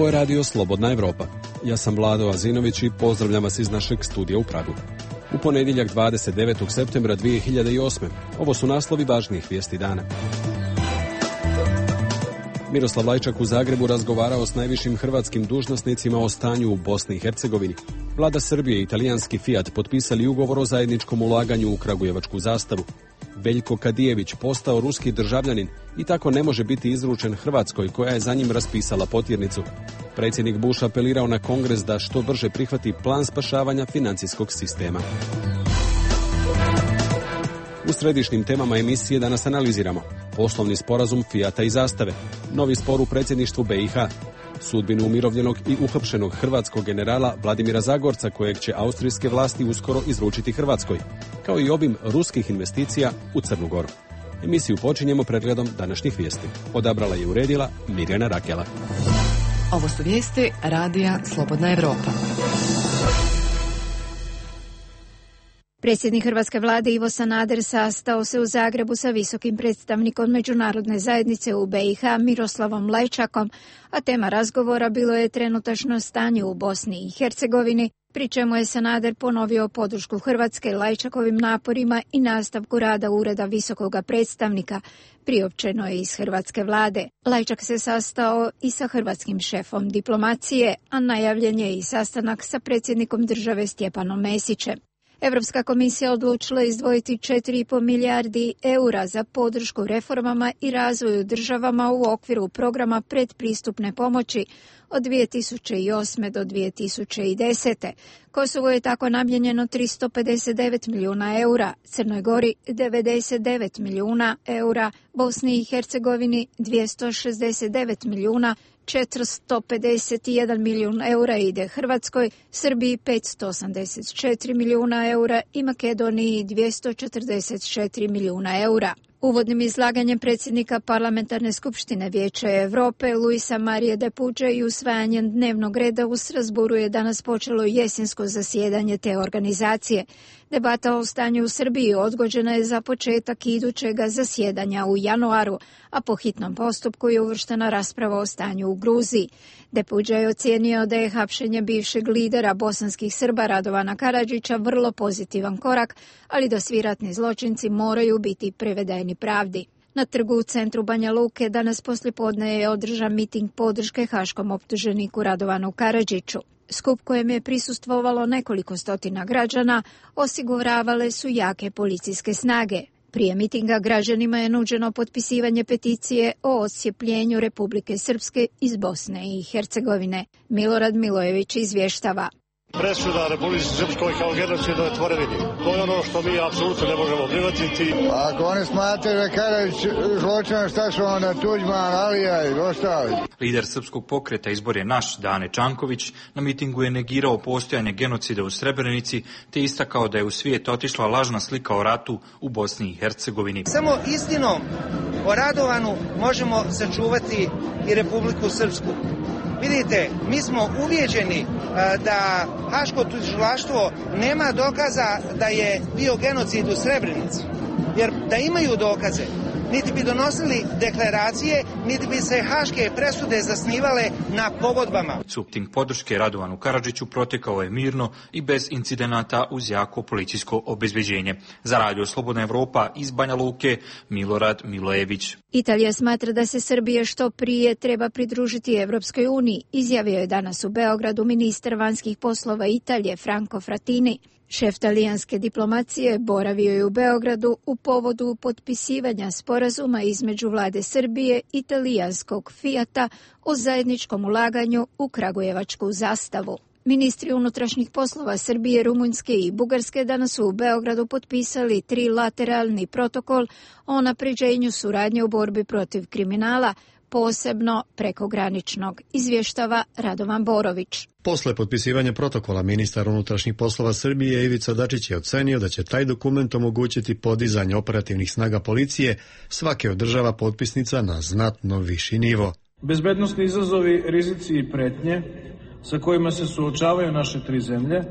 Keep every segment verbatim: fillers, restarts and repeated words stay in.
Ovo je radio Slobodna Evropa. Ja sam Vlado Azinović i pozdravljam vas iz našeg studija u Pragu. U ponedjeljak dvadeset devetog septembra dvije hiljade osme. Ovo su naslovi važnijih vijesti dana. Miroslav Lajčak u Zagrebu razgovarao s najvišim hrvatskim dužnosnicima o stanju u Bosni i Hercegovini. Vlada Srbije i italijanski Fiat potpisali ugovor o zajedničkom ulaganju u kragujevačku zastavu. Veljko Kadijević postao ruski državljanin i tako ne može biti izručen Hrvatskoj koja je za njim raspisala potjernicu. Predsjednik Bush apelirao na Kongres da što brže prihvati plan spašavanja financijskog sistema. U središnjim temama emisije danas analiziramo poslovni sporazum Fijata i Zastave, novi spor u predsjedništvu B i H, sudbinu umirovljenog i uhapšenog hrvatskog generala Vladimira Zagorca kojeg će austrijske vlasti uskoro izručiti Hrvatskoj, kao i obim ruskih investicija u Crnu Goru. Emisiju počinjemo pregledom današnjih vijesti. Odabrala je i uredila Mirjana Rakela. Ovo su vijesti radija Slobodna Evropa. Predsjednik hrvatske vlade Ivo Sanader sastao se u Zagrebu sa visokim predstavnikom međunarodne zajednice u B i H Miroslavom Lajčakom, a tema razgovora bilo je trenutačno stanje u Bosni i Hercegovini, pri čemu je Sanader ponovio podršku Hrvatske Lajčakovim naporima i nastavku rada Ureda visokoga predstavnika, priopćeno je iz hrvatske vlade. Lajčak se sastao i sa hrvatskim šefom diplomacije, a najavljen je i sastanak sa predsjednikom države Stjepanom Mesićem. Europska komisija odlučila izdvojiti četiri i pol milijardi eura za podršku reformama i razvoju državama u okviru programa predpristupne pomoći od dvije tisuće osme do dvije tisuće desete. Kosovo je tako namijenjeno tristo pedeset devet milijuna eura, Crnoj Gori devedeset devet milijuna eura, Bosni i Hercegovini dvjesto šezdeset devet milijuna, četiristo pedeset jedan milijun eura ide Hrvatskoj, Srbiji petsto osamdeset četiri milijuna eura i Makedoniji dvjesto četrdeset četiri milijuna eura. Uvodnim izlaganjem predsjednika Parlamentarne skupštine Vijeća Europe Luisa Marije de Puige i usvajanjem dnevnog reda u Strasbourgu je danas počelo jesensko zasjedanje te organizacije. Debata o stanju u Srbiji odgođena je za početak idućega zasjedanja u januaru, a po hitnom postupku je uvrštena rasprava o stanju u Gruziji. De Puige je ocijenio da je hapšenje bivšeg lidera bosanskih Srba Radovana Karadžića vrlo pozitivan korak, ali da svi ratni zločinci moraju biti privedeni pravdi. Na trgu u centru Banja Luke danas poslijepodne je održan miting podrške haškom optuženiku Radovanu Karadžiću. Skup kojem je prisustvovalo nekoliko stotina građana osiguravale su jake policijske snage. Prije mitinga građanima je nuđeno potpisivanje peticije o odcijepljenju Republike Srpske iz Bosne i Hercegovine. Milorad Milojević izvještava. Presuda Republici Srpskoj kao genocidu je tvorevini. To je ono što mi apsolutno ne možemo prihvatiti. Ako oni smatraju da Karadžić zločina, šta su onda Tuđman, Alija i ostali? Lider srpskog pokreta Izbor je naš, Dane Čanković, na mitingu je negirao postojanje genocida u Srebrenici, te istakao da je u svijet otišla lažna slika o ratu u Bosni i Hercegovini. Samo istinom o Radovanu možemo sačuvati i Republiku Srpsku. Vidite, mi smo uvijeđeni da Haško tužilaštvo nema dokaza da je bio genocid u Srebrenici. Jer da imaju dokaze, niti bi donosili deklaracije, niti bi se haške presude zasnivale na pogodbama. Supting podrške Radovanu Karadžiću protekao je mirno i bez incidenata uz jako policijsko obezbeđenje. Za radio Slobodna Evropa iz Banja Luke, Milorad Milojević. Italija smatra da se Srbija što prije treba pridružiti Evropskoj uniji, izjavio je danas u Beogradu ministar vanjskih poslova Italije Franco Frattini. Šef talijanske diplomacije boravio je u Beogradu u povodu potpisivanja sporazuma između vlade Srbije i talijanskog Fijata o zajedničkom ulaganju u kragujevačku zastavu. Ministri unutrašnjih poslova Srbije, Rumunjske i Bugarske danas su u Beogradu potpisali trilateralni protokol o unapređenju suradnje u borbi protiv kriminala, posebno prekograničnog, izvještava Radovan Borović. Posle potpisivanja protokola ministar unutrašnjih poslova Srbije Ivica Dačić je ocenio da će taj dokument omogućiti podizanje operativnih snaga policije svake od država potpisnica na znatno viši nivo. Bezbednosni izazovi, rizici i pretnje sa kojima se suočavaju naše tri zemlje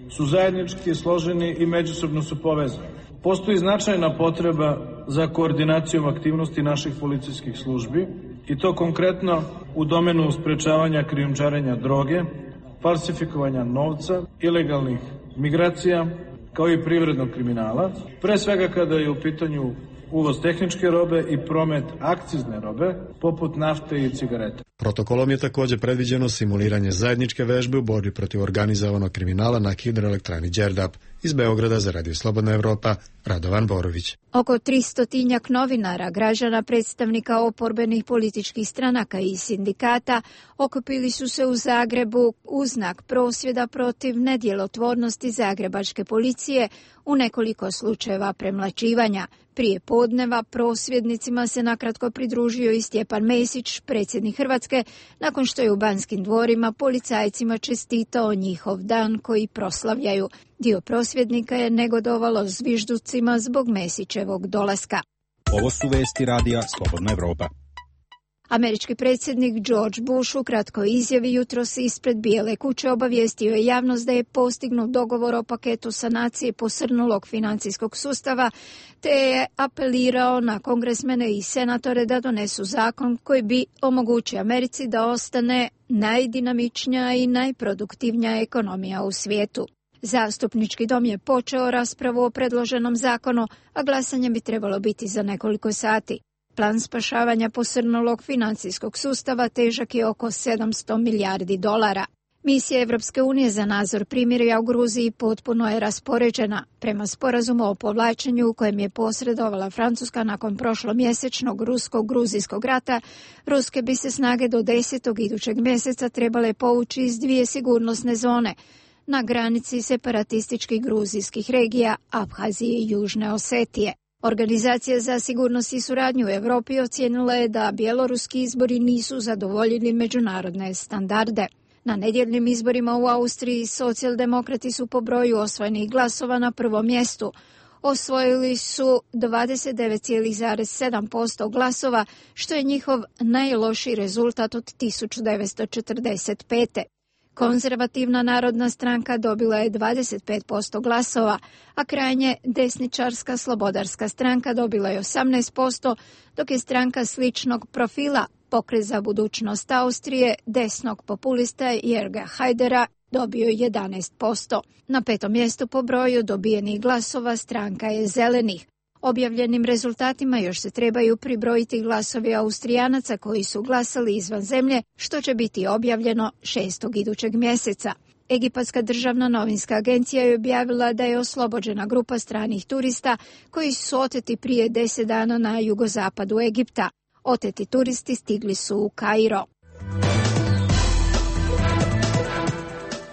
su zajednički složeni i međusobno su povezani. Postoji značajna potreba za koordinacijom aktivnosti naših policijskih službi I to konkretno u domenu sprečavanja krijumčarenja droge, falsifikovanja novca, ilegalnih migracija, kao i privrednog kriminala, pre svega kada je u pitanju uvoz tehničke robe i promet akcizne robe, poput nafte i cigareta. Protokolom je također predviđeno simuliranje zajedničke vežbe u borbi protiv organizovanog kriminala na hidroelektrani Đerdap. Iz Beograda za Radio Slobodna Evropa, Radovan Borović. Oko tristotinjak novinara, građana, predstavnika oporbenih političkih stranaka i sindikata okupili su se u Zagrebu u znak prosvjeda protiv nedjelotvornosti zagrebačke policije u nekoliko slučajeva premlaćivanja. Prije podneva prosvjednicima se nakratko pridružio i Stjepan Mesić, predsjednik Hrvatske, nakon što je u Banskim dvorima policajcima čestitao njihov dan koji proslavljaju. Dio prosvjednika je negodovalo zvižducima zbog Mesićevog dolaska. Ovo su vesti radija Slobodna Evropa. Američki predsjednik George Bush u kratkoj izjavi jutros ispred Bijele kuće obavijestio je javnost da je postignut dogovor o paketu sanacije posrnulog financijskog sustava, te je apelirao na kongresmene i senatore da donesu zakon koji bi omogućio Americi da ostane najdinamičnija i najproduktivnija ekonomija u svijetu. Zastupnički dom je počeo raspravu o predloženom zakonu, a glasanje bi trebalo biti za nekoliko sati. Plan spašavanja posrnulog financijskog sustava težak je oko sedamsto milijardi dolara. Misija Evropske unije za nadzor primirja u Gruziji potpuno je raspoređena. Prema sporazumu o povlačenju u kojem je posredovala Francuska nakon prošlomjesečnog rusko-gruzijskog rata, ruske bi se snage do desetog idućeg mjeseca trebale povući iz dvije sigurnosne zone na granici separatističkih gruzijskih regija Abhazije i Južne Osetije. Organizacija za sigurnost i suradnju u Europi ocijenila je da bjeloruski izbori nisu zadovoljili međunarodne standarde. Na nedjeljnim izborima u Austriji socijaldemokrati su po broju osvojenih glasova na prvom mjestu. Osvojili su dvadeset devet zarez sedam posto glasova, što je njihov najlošiji rezultat od tisuću devetsto četrdeset pete. Konzervativna narodna stranka dobila je dvadeset pet posto glasova, a krajnje desničarska slobodarska stranka dobila je osamnaest posto, dok je stranka sličnog profila Pokret za budućnost Austrije desnog populista Jerga Hajdera dobio jedanaest posto. Na petom mjestu po broju dobijenih glasova stranka je Zelenih. Objavljenim rezultatima još se trebaju pribrojiti glasovi Austrijanaca koji su glasali izvan zemlje, što će biti objavljeno šestog idućeg mjeseca. Egipatska državna novinska agencija je objavila da je oslobođena grupa stranih turista koji su oteti prije deset dana na jugozapadu Egipta. Oteti turisti stigli su u Kairo.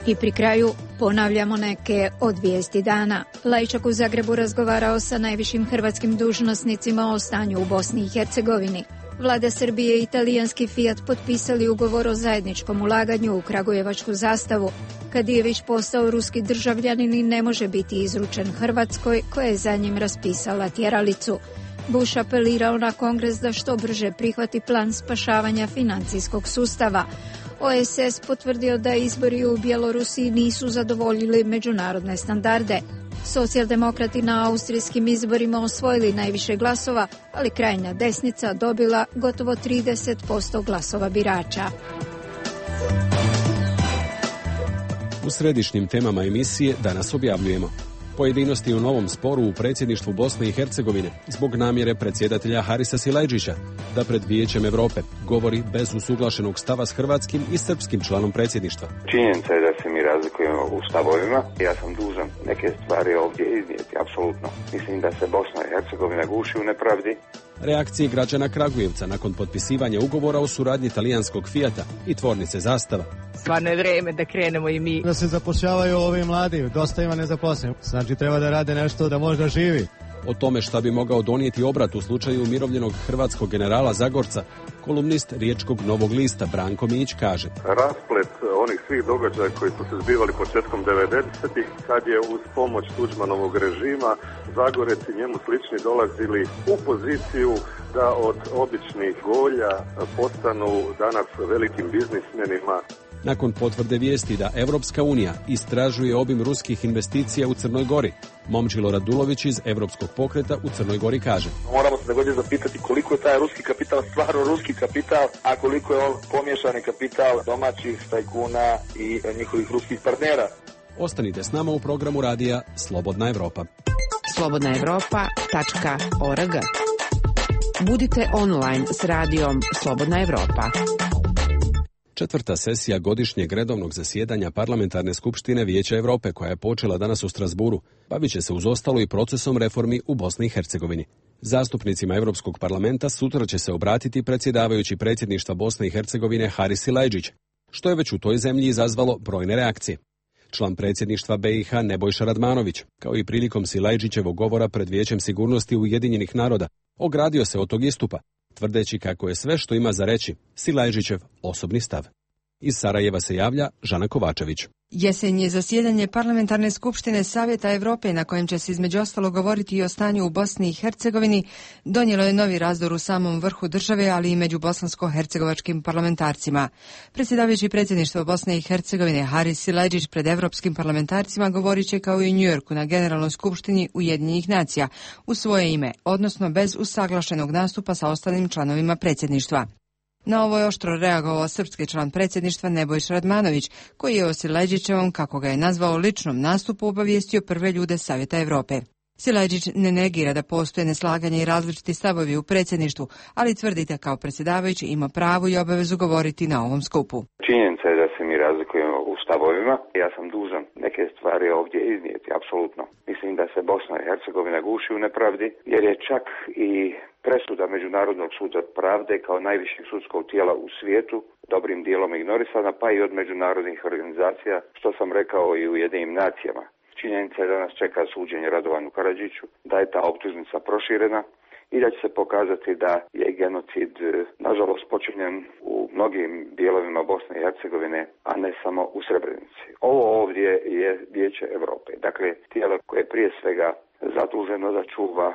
I pri kraju ponavljamo neke od vijesti dana. Lajčak u Zagrebu razgovarao sa najvišim hrvatskim dužnosnicima o stanju u Bosni i Hercegovini. Vlada Srbije i italijanski Fiat potpisali ugovor o zajedničkom ulaganju u kragujevačku zastavu. Kadijević postao ruski državljanin i ne može biti izručen Hrvatskoj, koja je za njim raspisala tjeralicu. Bush apelirao na Kongres da što brže prihvati plan spašavanja financijskog sustava. O S S potvrdio da izbori u Bjelorusiji nisu zadovoljili međunarodne standarde. Socijaldemokrati na austrijskim izborima osvojili najviše glasova, ali krajnja desnica dobila gotovo trideset posto glasova birača. U središnjim temama emisije danas objavljujemo pojedinosti u novom sporu u predsjedništvu Bosne i Hercegovine zbog namjere predsjedatelja Harisa Silajdžića da pred Vijećem Europe govori bez usuglašenog stava s hrvatskim i srpskim članom predsjedništva. Činjenica je da se mi razlikujemo u stavovima. Ja sam dužan neke stvari ovdje iznijeti, apsolutno. Mislim da se Bosna i Hercegovina guši u nepravdi. Reakcije građana Kragujevca nakon potpisivanja ugovora o suradnji talijanskog Fiata i tvornice Zastava. Stvarno je vrijeme da krenemo i mi. Da se zapošljavaju ovi mladi, dosta ima nezaposlenih. Znači treba da rade nešto da možda živi. O tome šta bi mogao donijeti obrat u slučaju umirovljenog hrvatskog generala Zagorca, kolumnist Riječkog Novog lista Branko Mić kaže: rasplet onih svih događaja koji su se zbivali početkom devedesetih, kad je uz pomoć Tuđmanovog režima Zagorec i njemu slični dolazili u poziciju da od običnih golja postanu danas velikim biznismenima. Nakon potvrde vijesti da Evropska unija istražuje obim ruskih investicija u Crnoj Gori, Momčilo Radulović iz Evropskog pokreta u Crnoj Gori kaže: moramo se nego je zapitati koliko je taj ruski kapital stvarno ruski kapital, a koliko je on pomiješani kapital domaćih tajkuna i njihovih ruskih partnera. Ostanite s nama u programu radija Slobodna Evropa. slobodna evropa tačka org. Budite online s radijom Slobodna Evropa. Četvrta sesija godišnjeg redovnog zasjedanja Parlamentarne skupštine Vijeća Europe, koja je počela danas u Strasburu, bavit će se uz ostalo i procesom reformi u Bosni i Hercegovini. Zastupnicima Europskog parlamenta sutra će se obratiti predsjedavajući predsjedništva Bosne i Hercegovine Haris Silajdžić, što je već u toj zemlji izazvalo brojne reakcije. Član predsjedništva B i H Nebojša Radmanović, kao i prilikom Silajdžićevog govora pred Vijećem sigurnosti Ujedinjenih naroda, ogradio se od tog istupa, tvrdeći kako je sve što ima za reći Silajdžićev osobni stav. Iz Sarajeva se javlja Žana Kovačević. Jesenje zasjedanje Parlamentarne skupštine Savjeta Europe, na kojem će se između ostalo govoriti i o stanju u Bosni i Hercegovini, donijelo je novi razdor u samom vrhu države, ali i među bosansko-hercegovačkim parlamentarcima. Predsjedavajući predsjedništvo Bosne i Hercegovine Haris Silajdžić pred evropskim parlamentarcima govorit će kao i u Njujorku na Generalnoj skupštini Ujedinjenih nacija u svoje ime, odnosno bez usaglašenog nastupa sa ostalim članovima predsjedništva. Na ovo je oštro reagovao srpski član predsjedništva Nebojša Radmanović, koji je o Silajdžićevom, kako ga je nazvao, ličnom nastupu obavijestio prve ljude Savjeta Europe. Silajdžić ne negira da postoje neslaganje i različiti stavovi u predsjedništvu, ali tvrdi da kao predsjedavajući ima pravo i obavezu govoriti na ovom skupu. Činjenica je da se mi razlikujemo u stavovima. Ja sam dužan neke stvari ovdje iznijeti, apsolutno. Mislim da se Bosna i Hercegovina guši u nepravdi, jer je čak i presuda Međunarodnog suda pravde kao najvišeg sudskog tijela u svijetu dobrim dijelom ignorisana, pa i od međunarodnih organizacija, što sam rekao i u Ujedinjenim nacijama. Činjenica je da nas čeka suđenje Radovanu Karadžiću, da je ta optužnica proširena i da će se pokazati da je genocid nažalost počinjen u mnogim dijelovima Bosne i Hercegovine, a ne samo u Srebrenici. Ovo ovdje je Vijeće Europe, dakle tijelo koje je prije svega zaduženo da čuva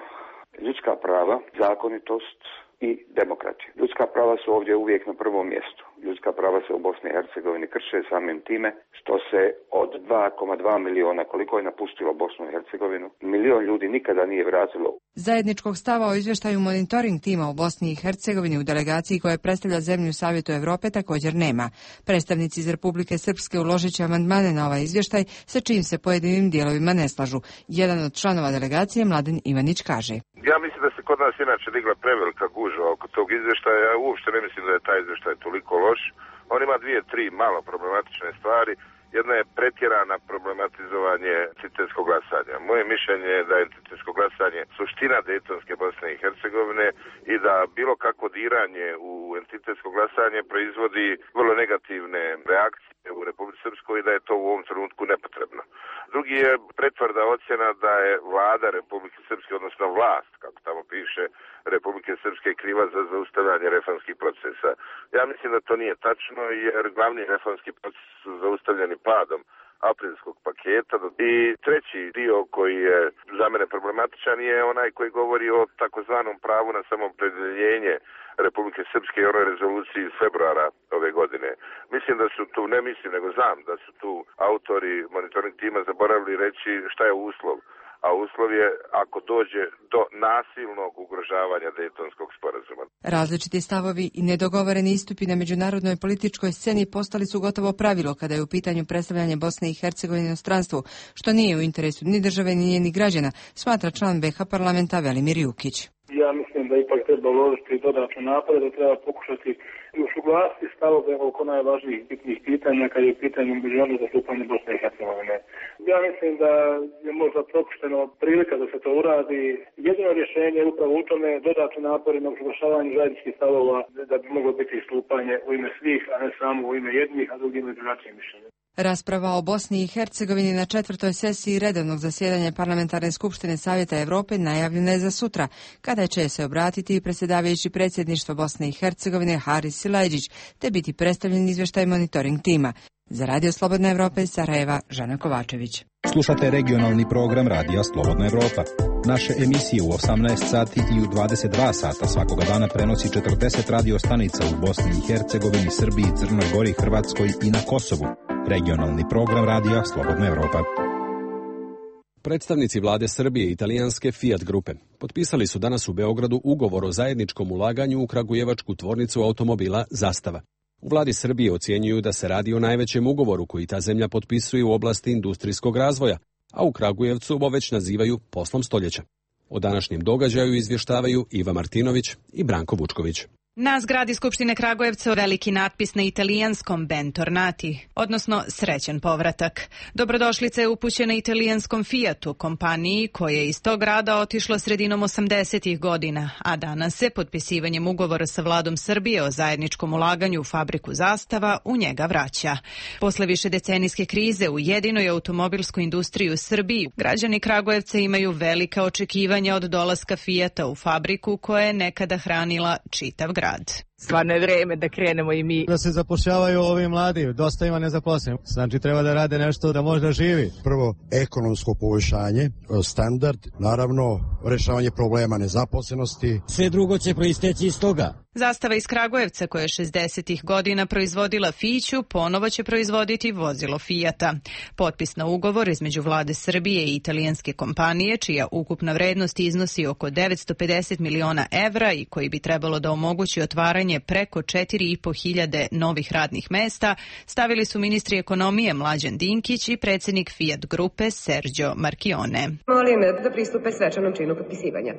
ljudska prava, zakonitost i demokratiju. Ljudska prava su ovdje uvijek na prvom mjestu. Ljudska prava se u Bosni i Hercegovini krše samim time što se od dva zarez dva miliona, koliko je napustilo Bosnu i Hercegovinu, milion ljudi nikada nije vratilo. Zajedničkog stava o izvještaju monitoring tima u Bosni i Hercegovini u delegaciji koja predstavlja zemlju u Savjetu Europe također nema. Predstavnici iz Republike Srpske uložit će amandmane na ovaj izvještaj, sa čim se pojedinim dijelovima ne slažu. Jedan od članova delegacije, Mladen Ivanić, kaže: Ja mislim da se kod nas inače digla prevelika gužva oko tog izvještaja. Ja uopšte ne mislim da je taj izvještaj toliko loš. On ima dvije, tri malo problematične stvari. Jedna je pretjerana problematizovanje entitetskog glasanja. Moje mišljenje je da je entitetsko glasanje suština Dejtonske Bosne i Hercegovine i da bilo kakvo diranje u entitetsko glasanje proizvodi vrlo negativne reakcije u Republici Srpskoj i da je to u ovom trenutku nepotrebno. Drugi je pretvrda ocjena da je vlada Republike Srpske, odnosno vlast, kako tamo piše, Republike Srpske kriva za zaustavljanje reformskih procesa. Ja mislim da to nije tačno, jer glavni reformski proces su zaustavljeni padom aprilskog paketa. I treći dio koji je za mene problematičan je onaj koji govori o takozvanom pravu na samoopredjeljenje Republike Srpske i onoj rezoluciji iz februara ove godine. Mislim da su tu, ne mislim nego znam da su tu autori monitoring tima zaboravili reći šta je uslov. A uslov je ako dođe do nasilnog ugrožavanja Dejtonskog sporazuma. Različiti stavovi i nedogovoreni istupi na međunarodnoj političkoj sceni postali su gotovo pravilo kada je u pitanju predstavljanje Bosne i Hercegovine inostranstvu, što nije u interesu ni države ni njenih građana, smatra član B H parlamenta Velimir Jukić. Ja mislim da ipak treba uložiti dodatne napore, da treba pokušati usuglasiti stavove oko najvažnijih bitnih pitanja kad je u pitanju međunarodnog zastupanja Bosne i Hercegovine. Ja mislim da je možda propušteno prilika da se to uradi. Jedino rješenje je upravo u tome dodatni napori na usuglašavanju zajedničkih stavova da bi moglo biti istupanje u ime svih, a ne samo u ime jednih, a drugim i drugačijim mišljenjem. Rasprava o Bosni i Hercegovini na četvrtoj sesiji redovnog zasjedanja Parlamentarne skupštine Savjeta Europe najavljena je za sutra, kada će se obratiti i predsjedavajući predsjedništvo Bosne i Hercegovine Haris Silajdžić, te biti predstavljen izvještaj monitoring tima. Za Radio Slobodna Evropa iz Sarajeva, Žana Kovačević. Slušate regionalni program Radija Slobodna Evropa. Naše emisije u osamnaest sati i u dvadeset dva sata svakoga dana prenosi četrdeset radio stanica u Bosni i Hercegovini, Srbiji, Crnoj Gori, Hrvatskoj i na Kosovu. Regionalni program Radija Slobodna Evropa. Predstavnici vlade Srbije i italijanske Fiat grupe potpisali su danas u Beogradu ugovor o zajedničkom ulaganju u kragujevačku tvornicu automobila Zastava. U vladi Srbije ocjenjuju da se radi o najvećem ugovoru koji ta zemlja potpisuje u oblasti industrijskog razvoja, a u Kragujevcu ovo već nazivaju poslom stoljeća. O današnjem događaju izvještavaju Iva Martinović i Branko Vučković. Na zgradi Skupštine Kragujevca veliki natpis na italijanskom Bentornati, odnosno srećan povratak. Dobrodošlica je upućena italijanskom Fiatu, kompaniji koja je iz tog grada otišla sredinom osamdesetih godina, a danas se potpisivanjem ugovora sa vladom Srbije o zajedničkom ulaganju u fabriku Zastava u njega vraća. Posle više decenijske krize u jedinoj automobilskoj industriji u Srbiji, građani Kragujevca imaju velika očekivanja od dolaska Fiata u fabriku koja je nekada hranila čitav grad. Stvarno je vreme da krenemo i mi. Da se zapošljavaju ovi mladi, dosta ima nezaposlenih. Znači treba da rade nešto da možda živi. Prvo, ekonomsko poboljšanje, standard, naravno rešavanje problema nezaposlenosti. Sve drugo će proisteći iz toga. Zastava iz Kragujevca, koja je šezdesetih godina proizvodila Fiću, ponovo će proizvoditi vozilo Fijata. Potpis na ugovor između vlade Srbije i italijanske kompanije, čija ukupna vrednost iznosi oko devetsto pedeset miliona evra i koji bi trebalo da omogući otvaranje preko četiri i po hiljade novih radnih mesta, stavili su ministri ekonomije Mlađan Dinkić i predsjednik Fiat grupe Sergio Marchione. Molim da pristupe svečanom činu potpisivanja.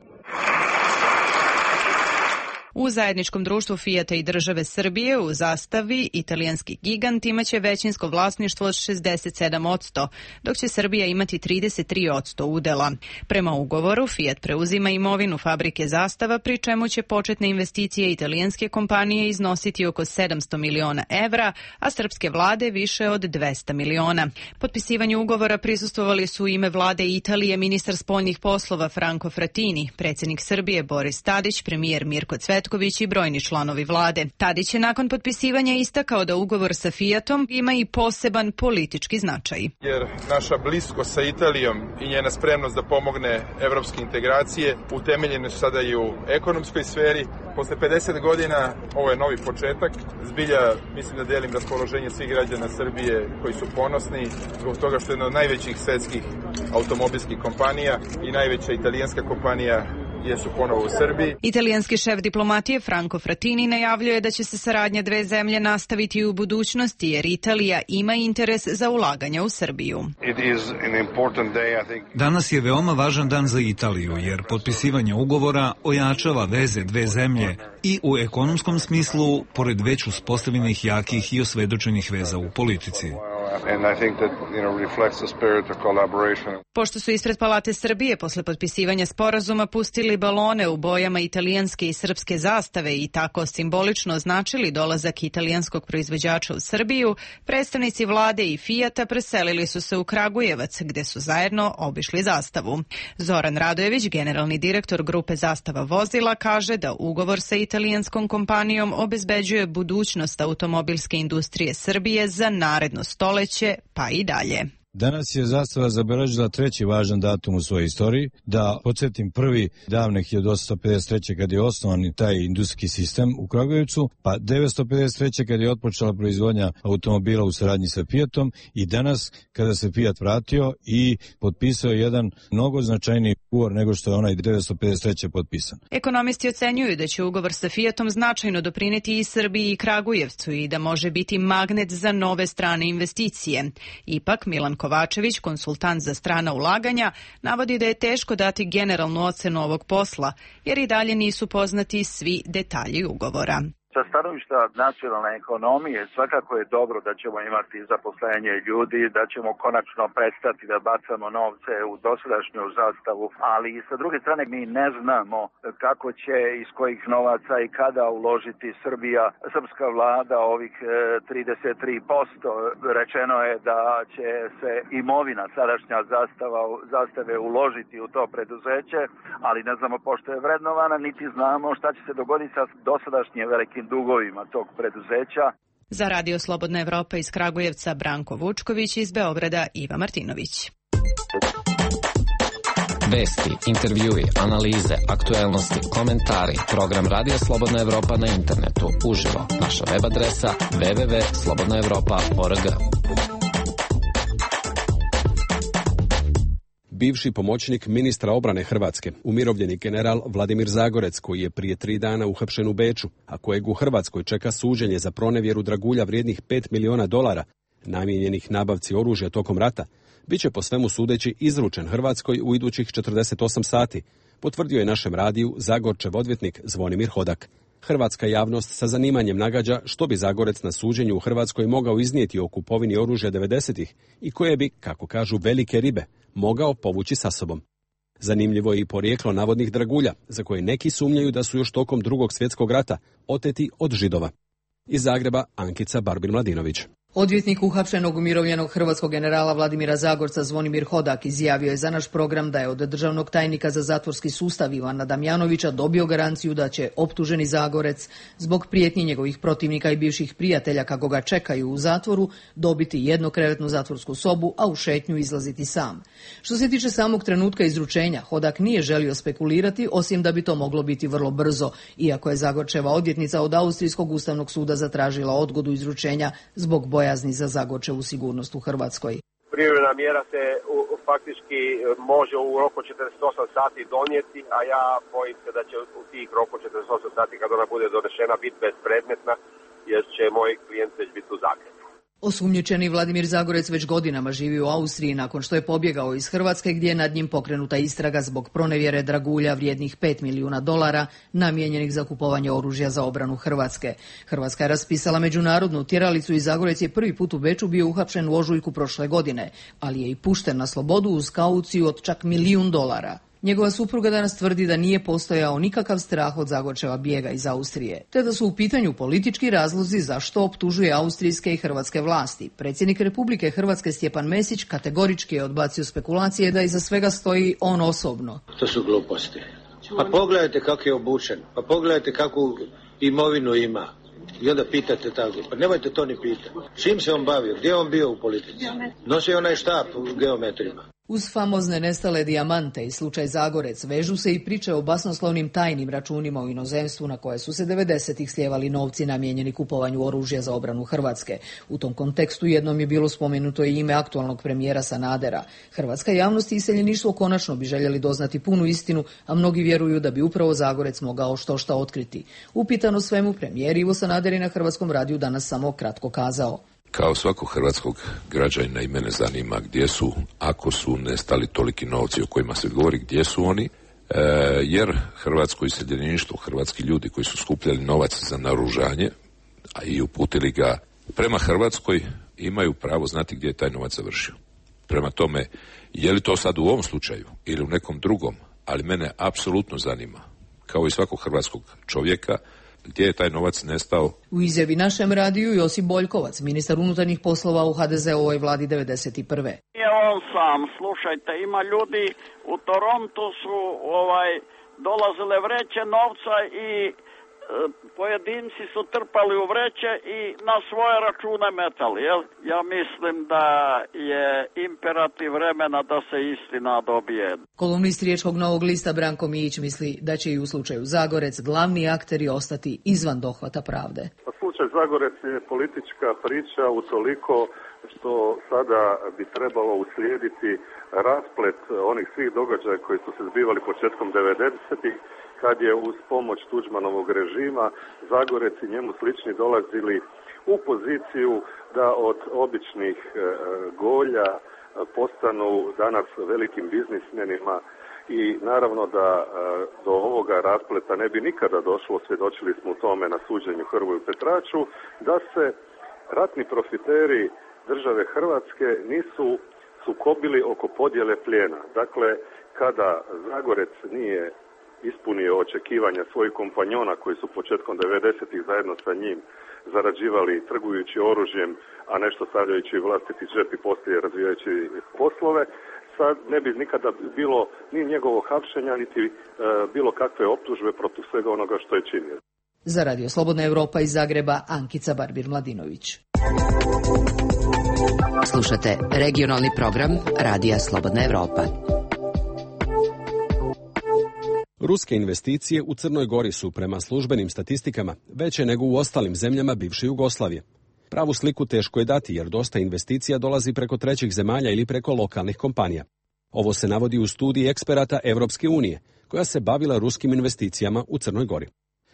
U zajedničkom društvu Fijata i države Srbije u Zastavi italijanski gigant imaće većinsko vlasništvo od šezdeset sedam posto, dok će Srbija imati trideset tri posto udela. Prema ugovoru Fiat preuzima imovinu fabrike Zastava, pri čemu će početne investicije italijanske kompanije iznositi oko sedamsto miliona evra, a srpske vlade više od dvesta miliona. Potpisivanju ugovora prisustvovali su u ime vlade Italije ministar spoljnih poslova Franco Frattini, predsjednik Srbije Boris Tadić, premijer Mirko Cvetković i brojni članovi vlade. Tadić je nakon potpisivanja istakao da ugovor sa Fiatom ima i poseban politički značaj. Jer naša bliskost sa Italijom i njena spremnost da pomogne evropske integracije utemeljene su sada i u ekonomskoj sferi. Posle pedeset godina ovo je novi početak. Zbilja mislim da delim raspoloženje svih građana Srbije koji su ponosni zbog toga što je jedna od najvećih svetskih automobilskih kompanija i najveća italijanska kompanija jesu ponovo u Srbiji. Italijanski šef diplomatije Franco Frattini najavljuje da će se saradnja dve zemlje nastaviti i u budućnosti, jer Italija ima interes za ulaganja u Srbiju. Danas je veoma važan dan za Italiju, jer potpisivanje ugovora ojačava veze dve zemlje i u ekonomskom smislu, pored već uspostavljenih jakih i osvedočenih veza u politici. Pošto su ispred Palate Srbije posle potpisivanja sporazuma pustili balone u bojama italijanske i srpske zastave i tako simbolično označili dolazak italijanskog proizvođača u Srbiju, predstavnici vlade i Fijata preselili su se u Kragujevac, gde su zajedno obišli Zastavu. Zoran Radojević, generalni direktor grupe Zastava vozila, kaže da ugovor sa italijanskom kompanijom obezbeđuje budućnost automobilske industrije Srbije za naredno stoleće, pa i dalje. Danas je Zastava zabeležila treći važan datum u svojoj istoriji. Da podsjetim, prvi davne hiljadu osamsto pedeset treće kad je osnovan taj industrijski sistem u Kragujevcu, pa devetsto pedeset treće kad je otpočela proizvodnja automobila u saradnji sa Fiatom i danas kada se Fiat vratio i potpisao jedan mnogo značajniji ugovor nego što je onaj devetsto pedeset treće potpisan. Ekonomisti ocenjuju da će ugovor sa Fiatom značajno doprineti i Srbiji i Kragujevcu i da može biti magnet za nove strane investicije. Ipak Milan Kovačević, konsultant za strana ulaganja, navodi da je teško dati generalnu ocenu ovog posla, jer i dalje nisu poznati svi detalji ugovora. Sa stanovišta nacionalne ekonomije svakako je dobro da ćemo imati zaposlenje ljudi, da ćemo konačno prestati da bacamo novce u dosadašnju Zastavu, ali sa druge strane mi ne znamo kako će, iz kojih novaca i kada uložiti Srbija, srpska vlada ovih trideset tri posto. Rečeno je da će se imovina sadašnja zastava, zastave uložiti u to preduzeće, ali ne znamo pošto je vrednovana, niti znamo šta će se dogoditi sa dosadašnjim velikim dugovima tog preduzeća. Za Radio Slobodna Evropa iz Kragujevca Branko Vučković, iz Beograda Iva Martinović. Vesti, intervjui, analize, aktuelnosti, komentari, program Radio Slobodna Evropa na internetu, uživo, naša web adresa w w w tačka slobodna evropa tačka org. Bivši pomoćnik ministra obrane Hrvatske, umirovljeni general Vladimir Zagorec, koji je prije tri dana uhapšen u Beču, a kojeg u Hrvatskoj čeka suđenje za pronevjeru dragulja vrijednih pet miliona dolara, namijenjenih nabavci oružja tokom rata, bit će po svemu sudeći izručen Hrvatskoj u idućih četrdeset osam sati, potvrdio je našem radiju Zagorčev odvjetnik Zvonimir Hodak. Hrvatska javnost sa zanimanjem nagađa što bi Zagorec na suđenju u Hrvatskoj mogao iznijeti o kupovini oružja devedesetih i koje bi, kako kažu velike ribe, mogao povući sa sobom. Zanimljivo je i porijeklo navodnih dragulja, za koje neki sumnjaju da su još tokom Drugog svjetskog rata oteti od Židova. Iz Zagreba Ankica Barbin-Mladinović. Odvjetnik uhapšenog umirovljenog hrvatskog generala Vladimira Zagorca Zvonimir Hodak izjavio je za naš program da je od državnog tajnika za zatvorski sustav Ivana Damjanovića dobio garanciju da će optuženi Zagorec zbog prijetnji njegovih protivnika i bivših prijatelja kako ga čekaju u zatvoru dobiti jednokrevetnu zatvorsku sobu, a u šetnju izlaziti sam. Što se tiče samog trenutka izručenja, Hodak nije želio spekulirati, osim da bi to moglo biti vrlo brzo, iako je Zagorčeva odvjetnica od Austrijskog ustavnog suda zatražila odgodu izručenja zbog boja bojazni za Zagorčevu sigurnost u Hrvatskoj. Privremena mjera se u, faktički može u roku četrdeset osam sati donijeti, a ja bojim se da će u tih roku četrdeset osam sati kad ona bude donešena biti bespredmetna, jer će moj klijent već biti u Zagrebu. Osumnjičeni Vladimir Zagorec već godinama živi u Austriji nakon što je pobjegao iz Hrvatske, gdje je nad njim pokrenuta istraga zbog pronevjere dragulja vrijednih pet milijuna dolara namijenjenih za kupovanje oružja za obranu Hrvatske. Hrvatska je raspisala međunarodnu tjeralicu i Zagorec je prvi put u Beču bio uhapšen u ožujku prošle godine, ali je i pušten na slobodu uz kauciju od čak milijun dolara. Njegova supruga danas tvrdi da nije postojao nikakav strah od Zagorčeva bijega iz Austrije, te da su u pitanju politički razlozi zašto optužuje austrijske i hrvatske vlasti. Predsjednik Republike Hrvatske Stjepan Mesić kategorički je odbacio spekulacije da iza svega stoji on osobno. To su gluposti. Pa pogledajte kako je obučen, pa pogledajte kakvu imovinu ima. I onda pitate tako, pa nemojte to ni pitati. Čim se on bavio, gdje je on bio u politici? Nosio onaj štap u geometrima. Uz famozne nestale dijamante i slučaj Zagorec vežu se i priče o basnoslovnim tajnim računima u inozemstvu na koje su se devedesetih slijevali novci namijenjeni kupovanju oružja za obranu Hrvatske. U tom kontekstu jednom je bilo spomenuto i ime aktualnog premijera Sanadera. Hrvatska javnost i iseljeništvo konačno bi željeli doznati punu istinu, a mnogi vjeruju da bi upravo Zagorec mogao što šta otkriti. Upitano svemu, premijer Ivo Sanader je na Hrvatskom radiju danas samo kratko kazao. Kao svakog hrvatskog građanina i mene zanima gdje su, ako su nestali toliki novci o kojima se govori, gdje su oni, e, jer hrvatsko iseljeništvo, hrvatski ljudi koji su skupljali novac za naoružanje, a i uputili ga prema Hrvatskoj, imaju pravo znati gdje je taj novac završio. Prema tome, je li to sad u ovom slučaju ili u nekom drugom, ali mene apsolutno zanima, kao i svakog hrvatskog čovjeka, gdje je taj novac nestao. U izjavi našem radiju Josip Boljkovac, ministar unutarnjih poslova u ha de ze ovoj vladi devedeset prve. Nije on sam, slušajte, ima ljudi u Torontu su ovaj dolazile vreće novca i e, pojedinci su trpali u vreće i na svoje račune metali, jel? Ja mislim da je imperativ vremena da se istina dobije. Kolumnist Riječkog Novog lista Branko Mijić misli da će i u slučaju Zagorec glavni akteri ostati izvan dohvata pravde. Pa slučaj Zagorec je politička priča utoliko što sada bi trebalo uslijediti rasplet onih svih događaja koji su se zbivali početkom devedesetih, kad je uz pomoć Tuđmanovog režima Zagorec i njemu slični dolazili u poziciju da od običnih e, golja postanu danas velikim biznismenima i naravno da e, do ovoga raspleta ne bi nikada došlo, svjedočili smo u tome na suđenju Hrvoju Petraču, da se ratni profiteri države Hrvatske nisu sukobili oko podjele plijena. Dakle, kada Zagorec nije ispunio očekivanja svojih kompanjona koji su početkom devedesetih zajedno sa njim zarađivali trgujući oružjem, a nešto stavljajući vlastiti džep i poslije razvijajući poslove, sad ne bi nikada bilo ni njegovo hapšenja, niti e, bilo kakve optužbe protiv svega onoga što je činio. Za Radio Slobodna Europa iz Zagreba, Ankica Barbir-Mladinović. Slušate regionalni program Radija Slobodna Europa. Ruske investicije u Crnoj Gori su prema službenim statistikama veće nego u ostalim zemljama bivše Jugoslavije. Pravu sliku teško je dati jer dosta investicija dolazi preko trećih zemalja ili preko lokalnih kompanija. Ovo se navodi u studiji eksperata Evropske unije, koja se bavila ruskim investicijama u Crnoj Gori.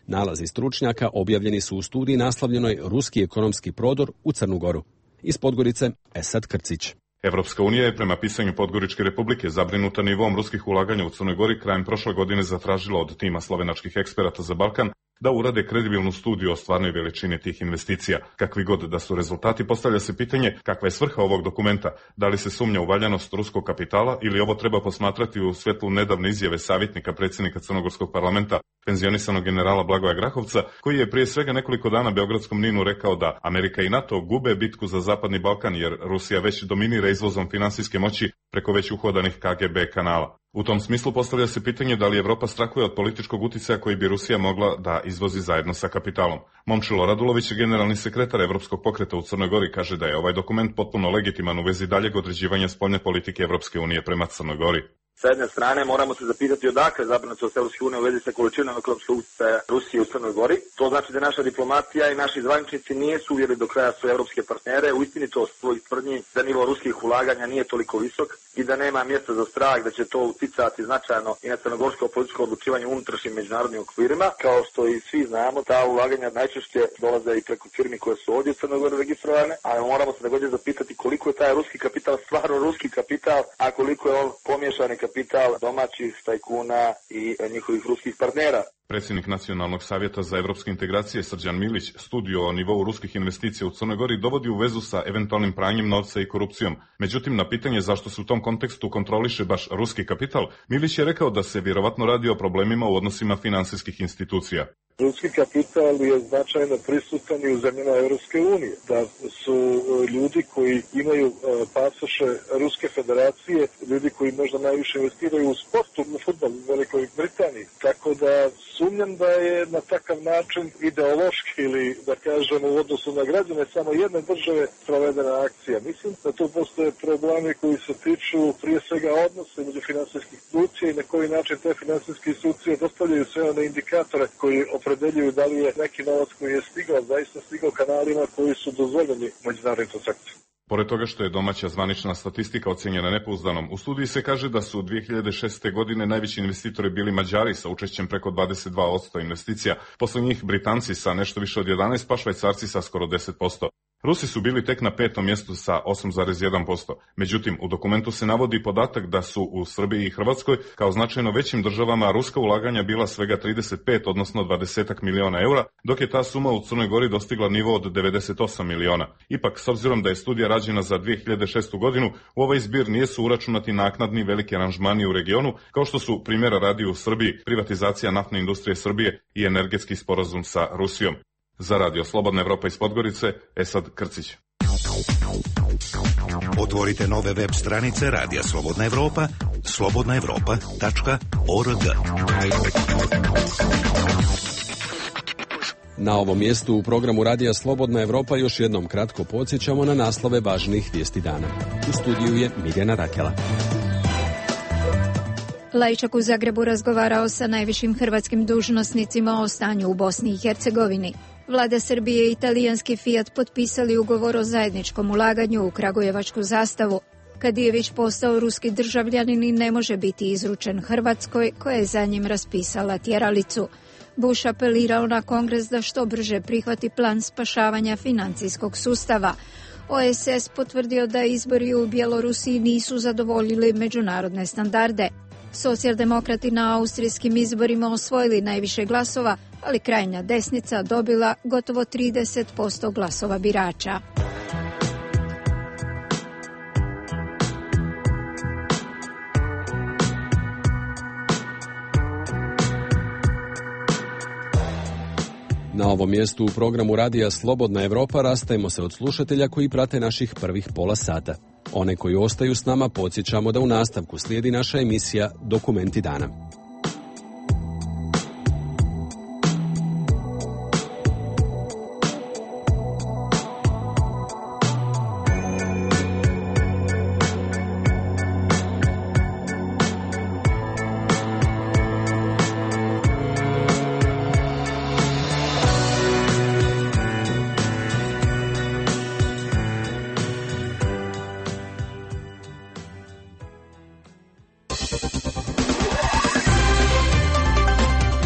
Nalazi stručnjaka objavljeni su u studiji naslovljenoj Ruski ekonomski prodor u Crnu Goru. Iz Podgorice, Esad Krcić. Evropska unija je prema pisanju Podgoričke republike zabrinuta nivom ruskih ulaganja u Crnoj Gori krajem prošle godine zatražila od tima slovenačkih eksperata za Balkan da urade kredibilnu studiju o stvarnoj veličini tih investicija. Kakvi god da su rezultati, postavlja se pitanje kakva je svrha ovog dokumenta, da li se sumnja u valjanost ruskog kapitala ili ovo treba posmatrati u svetlu nedavne izjave savjetnika predsjednika Crnogorskog parlamenta, penzionisanog generala Blagoja Grahovca, koji je prije svega nekoliko dana Beogradskom Ninu rekao da Amerika i NATO gube bitku za Zapadni Balkan jer Rusija već dominira izvozom finansijske moći preko već uhodanih K G B kanala. U tom smislu postavlja se pitanje da li Evropa strahuje od političkog uticaja koji bi Rusija mogla da izvozi zajedno sa kapitalom. Momčilo Radulović, generalni sekretar Evropskog pokreta u Crnoj Gori, kaže da je ovaj dokument potpuno legitiman u vezi daljeg određivanja spoljne politike Evropske unije prema Crnoj Gori. Sa jedne strane moramo se zapitati odakle zabrinutost Evropske unije u vezi sa količinom ekonomskog uticaja Rusije u Crnoj Gori. To znači da naša diplomatija i naši zvaničnici nisu uvjerili do kraja svoje evropske partnere u istinitost svojih tvrdnji da nivo ruskih ulaganja nije toliko visok i da nema mjesta za strah da će to uticati značajno i na crnogorsko političko odlučivanje u unutrašnjim međunarodnim okvirima. Kao što i svi znamo, ta ulaganja najčešće dolaze i preko firmi koje su ovdje u Crnoj Gori registrovane, a moramo se također zapitati koliko je taj ruski kapital stvarno ruski kapital, a koliko je on pomiješani kapital domaćih tajkuna i njihovih ruskih partnera. Predsjednik Nacionalnog savjeta za evropske integracije Srđan Milić studiju o nivou ruskih investicija u Crnoj Gori dovodi u vezu sa eventualnim pranjem novca i korupcijom. Međutim, na pitanje zašto se u tom kontekstu kontroliše baš ruski kapital, Milić je rekao da se vjerovatno radi o problemima u odnosima finansijskih institucija. Ruski kapital je značajno prisutan i u zemljama Evropske unije. Da su ljudi koji imaju pasoše Ruske federacije, ljudi koji možda najviše investiraju u sportu, u fudbalu u Velikoj Britaniji. Tako da sumnjam da je na takav način ideološki ili da kažem u odnosu na građane samo jedne države provedena akcija. Mislim da tu postoje problemi koji se tiču prije svega odnose među finansijskih institucija i na koji način te finansijske institucije dostavljaju sve one indikatore koji opredeljuju da li je neki novac koji je stigao, zaista stigao kanalima koji su dozvoljeni međunarodnim transakcijama. Pored toga što je domaća zvanična statistika ocjenjena nepouzdanom, u studiji se kaže da su dvije hiljade šeste. godine najveći investitori bili Mađari sa učešćem preko dvadeset dva posto investicija, posle njih Britanci sa nešto više od jedanaest posto, pa Švajcarci sa skoro deset posto. Rusi su bili tek na petom mjestu sa osam zarez jedan posto. Međutim, u dokumentu se navodi podatak da su u Srbiji i Hrvatskoj kao značajno većim državama ruska ulaganja bila svega trideset pet, odnosno dvadeset miliona eura, dok je ta suma u Crnoj Gori dostigla nivo od devedeset osam miliona. Ipak, s obzirom da je studija rađena za dvije hiljade šestu. godinu, u ovaj zbir nisu uračunati naknadni veliki aranžmani u regionu, kao što su primjera radi u Srbiji, privatizacija naftne industrije Srbije i energetski sporazum sa Rusijom. Za Radio Slobodna Evropa iz Podgorice, Esad Krcić. Otvorite nove web stranice Radija Slobodna Evropa, slobodna evropa tačka org. Na ovom mjestu u programu Radija Slobodna Evropa još jednom kratko podsjećamo na naslove važnih vijesti dana. U studiju je Mirjana Rakela. Lajčak u Zagrebu razgovarao sa najvišim hrvatskim dužnosnicima o stanju u Bosni i Hercegovini. Vlada Srbije i italijanski Fiat potpisali ugovor o zajedničkom ulaganju u kragujevačku zastavu. Kadijević postao ruski državljanin i ne može biti izručen Hrvatskoj, koja je za njim raspisala tjeralicu. Bush apelirao na Kongres da što brže prihvati plan spašavanja financijskog sustava. O S S potvrdio da izbori u Bjelorusiji nisu zadovoljili međunarodne standarde. Socijaldemokrati na austrijskim izborima osvojili najviše glasova, ali krajnja desnica dobila gotovo trideset posto glasova birača. Na ovom mjestu u programu Radija Slobodna Evropa rastajemo se od slušatelja koji prate naših prvih pola sata. One koji ostaju s nama podsjećamo da u nastavku slijedi naša emisija Dokumenti dana.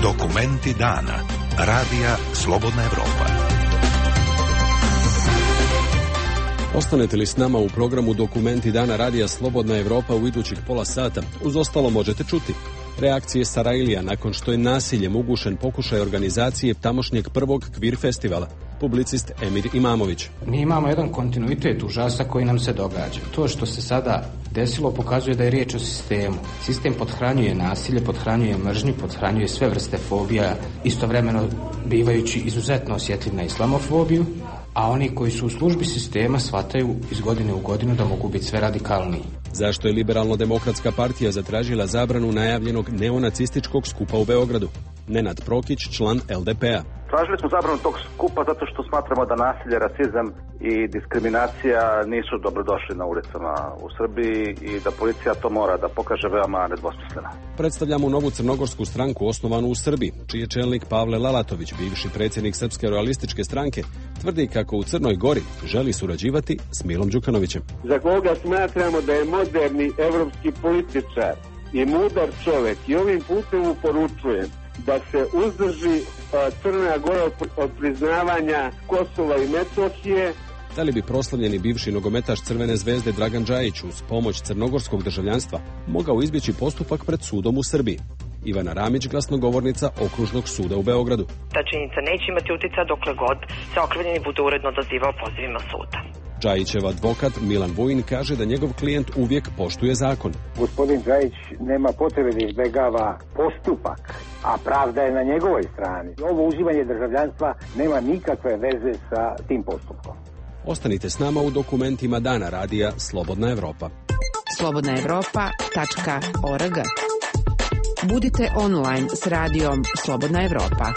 Dokumenti dana. Radija Slobodna Evropa. Ostanete li s nama u programu Dokumenti dana Radija Slobodna Evropa u idućih pola sata? Uz ostalo možete čuti reakcije Sarajlija nakon što je nasiljem ugušen pokušaj organizacije tamošnjeg prvog kvir festivala. Publicist Emir Imamović. Mi imamo jedan kontinuitet užasa koji nam se događa. To što se sada desilo pokazuje da je riječ o sistemu. Sistem pothranjuje nasilje, pothranjuje mržnju, pothranjuje sve vrste fobija, istovremeno bivajući izuzetno osjetljiv na islamofobiju, a oni koji su u službi sistema shvataju iz godine u godinu da mogu biti sve radikalniji. Zašto je Liberalno-demokratska partija zatražila zabranu najavljenog neonacističkog skupa u Beogradu? Nenad Prokić, član L D P-a. Tražili smo zabranu tog skupa zato što smatramo da nasilje, rasizam i diskriminacija nisu dobrodošli na ulicama u Srbiji i da policija to mora da pokaže veoma nedvosmisleno. Predstavljamo novu crnogorsku stranku osnovanu u Srbiji, čiji je čelnik Pavle Lalatović, bivši predsjednik Srpske realističke stranke, tvrdi kako u Crnoj Gori želi surađivati s Milom Đukanovićem. Za koga smatramo da je moderni evropski političar i mudar čovjek i ovim putem mu poručujem da se uzdrži Crna Gora od priznavanja Kosova i Metohije. Da li bi proslavljeni bivši nogometaš Crvene zvezde Dragan Džajić uz pomoć crnogorskog državljanstva mogao izbjeći postupak pred sudom u Srbiji? Ivana Ramić, glasnogovornica Okružnog suda u Beogradu. Ta činjenica neće imati utjecaja dokle god se okrivljeni bude uredno odazivao pozivima suda. Džajićev advokat Milan Vujin kaže da njegov klijent uvijek poštuje zakon. Gospodin Džajić nema potrebe da izbjegava postupak, a pravda je na njegovoj strani. Ovo uživanje državljanstva nema nikakve veze sa tim postupkom. Ostanite s nama u dokumentima dana Radija Slobodna Evropa. slobodna evropa tačka org. Budite online s radijom Slobodna Evropa.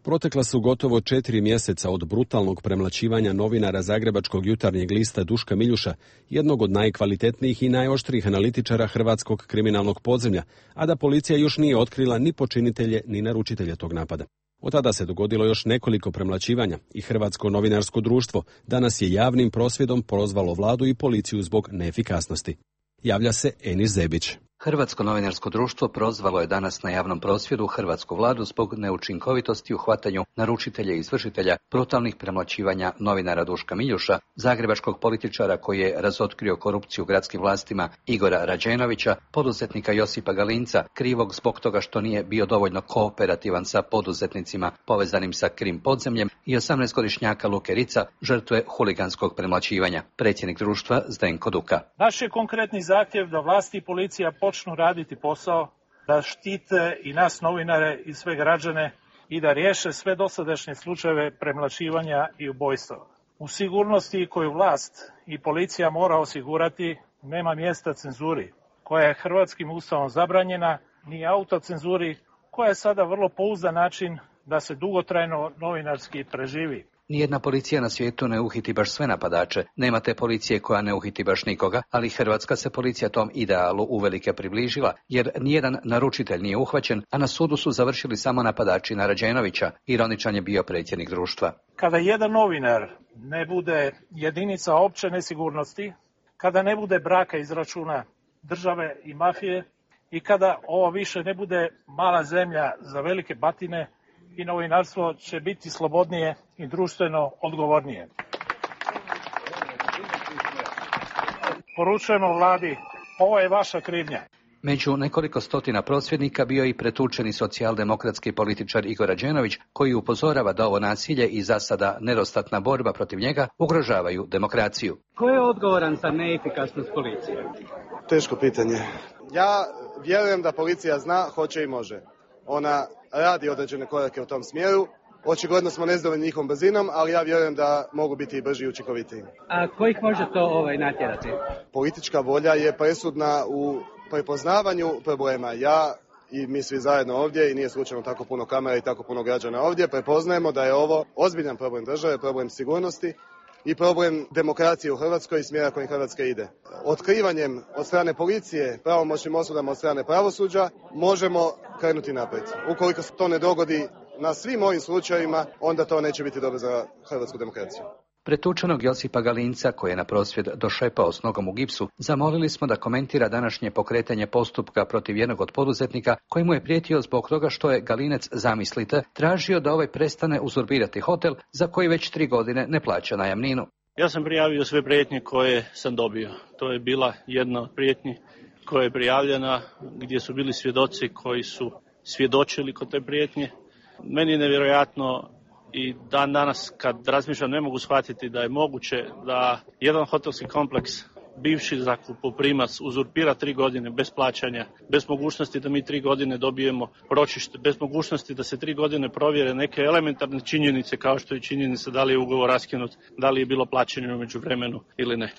Protekla su gotovo četiri mjeseca od brutalnog premlaćivanja novinara Zagrebačkog jutarnjeg lista Duška Miljuša, jednog od najkvalitetnijih i najoštrijih analitičara hrvatskog kriminalnog podzemlja, a da policija još nije otkrila ni počinitelje ni naručitelje tog napada. Od tada se dogodilo još nekoliko premlaćivanja i Hrvatsko novinarsko društvo danas je javnim prosvjedom prozvalo vladu i policiju zbog neefikasnosti. Javlja se Enis Zebić. Hrvatsko novinarsko društvo prozvalo je danas na javnom prosvjedu hrvatsku vladu zbog neučinkovitosti u hvatanju naručitelja i izvršitelja brutalnih premlaćivanja novinara Duška Miljuša, zagrebačkog političara koji je razotkrio korupciju u gradskim vlastima Igora Rađenovića, poduzetnika Josipa Galinca, krivog zbog toga što nije bio dovoljno kooperativan sa poduzetnicima povezanim sa krim podzemljem i osamnaestogodišnjaka Luke Rica, žrtve huliganskog premlaćivanja. Predsjednik društva Zdenko Duka. Naš je konkretni zahtjev da vlasti i policija počnu raditi posao, da štite i nas novinare i sve građane i da riješe sve dosadašnje slučajeve premlaćivanja i ubojstva. U sigurnosti koju vlast i policija mora osigurati nema mjesta cenzuri, koja je hrvatskim ustavom zabranjena, ni autocenzuri, koja je sada vrlo pouzdan način da se dugotrajno novinarski preživi. Nijedna policija na svijetu ne uhiti baš sve napadače. Nema te policije koja ne uhiti baš nikoga, ali hrvatska se policija tom idealu uvelike približila, jer nijedan naručitelj nije uhvaćen, a na sudu su završili samo napadači na Rađenovića. Ironičan je bio predsjednik društva. Kada jedan novinar ne bude jedinica opće nesigurnosti, kada ne bude braka izračuna države i mafije i kada ovo više ne bude mala zemlja za velike batine, i novinarstvo će biti slobodnije i društveno odgovornije. Poručujemo vladi, ovo je vaša krivnja. Među nekoliko stotina prosvjednika bio i pretučeni socijaldemokratski političar Igor Rađenović, koji upozorava da ovo nasilje i zasada nedostatna borba protiv njega ugrožavaju demokraciju. Ko je odgovoran za neefikasnost policije? Teško pitanje. Ja vjerujem da policija zna, hoće i može. Ona radi određene korake u tom smjeru. Očigledno smo nezadovoljni njihovom brzinom, ali ja vjerujem da mogu biti i brži i učinkovitiji. A ko ih može to ovaj, natjerati? Politička volja je presudna u prepoznavanju problema. Ja i mi svi zajedno ovdje, i nije slučajno tako puno kamera i tako puno građana ovdje, prepoznajemo da je ovo ozbiljan problem države, problem sigurnosti i problem demokracije u Hrvatskoj i smjera kojim Hrvatska ide. Otkrivanjem od strane policije, pravomoćnim osudama od strane pravosuđa, možemo krenuti naprijed. Ukoliko se to ne dogodi na svim ovim slučajevima, onda to neće biti dobro za hrvatsku demokraciju. pretučenog Josipa Galinca, koji je na prosvjed došepao s nogom u gipsu, zamolili smo da komentira današnje pokretanje postupka protiv jednog od poduzetnika koji mu je prijetio zbog toga što je Galinec, zamislite, tražio da ovaj prestane uzurpirati hotel za koji već tri godine ne plaća najamninu. Ja sam prijavio sve prijetnje koje sam dobio. To je bila jedna od prijetnji koja je prijavljena, gdje su bili svjedoci koji su svjedočili kod te prijetnje. Meni je nevjerojatno i dan danas kad razmišljam ne mogu shvatiti da je moguće da jedan hotelski kompleks, bivši zakupoprimac, uzurpira tri godine bez plaćanja, bez mogućnosti da mi tri godine dobijemo ročište, bez mogućnosti da se tri godine provjere neke elementarne činjenice kao što je činjenica da li je ugovor raskinut, da li je bilo plaćanje u međuvremenu ili ne.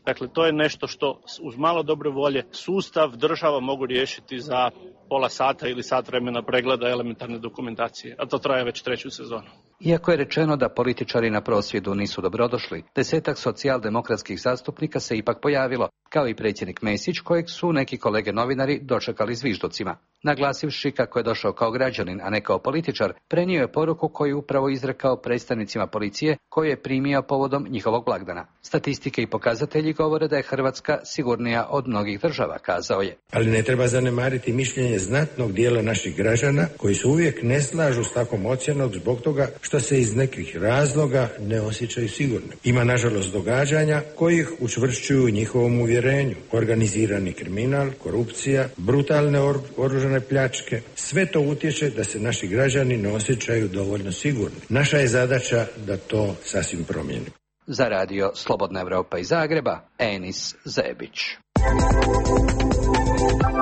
Dakle, to je nešto što uz malo dobre volje sustav, država mogu riješiti za pola sata ili sat vremena pregleda elementarne dokumentacije, a to traje već treću sezonu. Iako je rečeno da političari na prosvjedu nisu dobrodošli, desetak socijaldemokratskih zastupnika se ipak pojavilo, kao i predsjednik Mesić, kojeg su neki kolege novinari dočekali zvižducima. Naglasivši kako je došao kao građanin, a ne kao političar, prenio je poruku koju upravo izrekao predstavnicima policije koju je primio povodom njihovog blagdana. Statistike i pokazatelji govore da je Hrvatska sigurnija od mnogih država, kazao je. Ali ne treba zanemariti mišljenje znatnog dijela naših građana koji se uvijek ne slažu s takvom ocjenom zbog toga što se iz nekih razloga ne osjećaju sigurno. Ima nažalost događanja koji ih učvršćuju u njihovom uvjerenju. Organizirani kriminal, korupcija, brutalne or- oružane pljačke, sve to utječe da se naši građani ne osjećaju dovoljno sigurni. Naša je zadaća da to sasvim promijenimo. Za radio Slobodna Evropa iz Zagreba, Enis Zebić.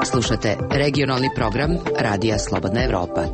Slušate regionalni program Radija Slobodna Evropa.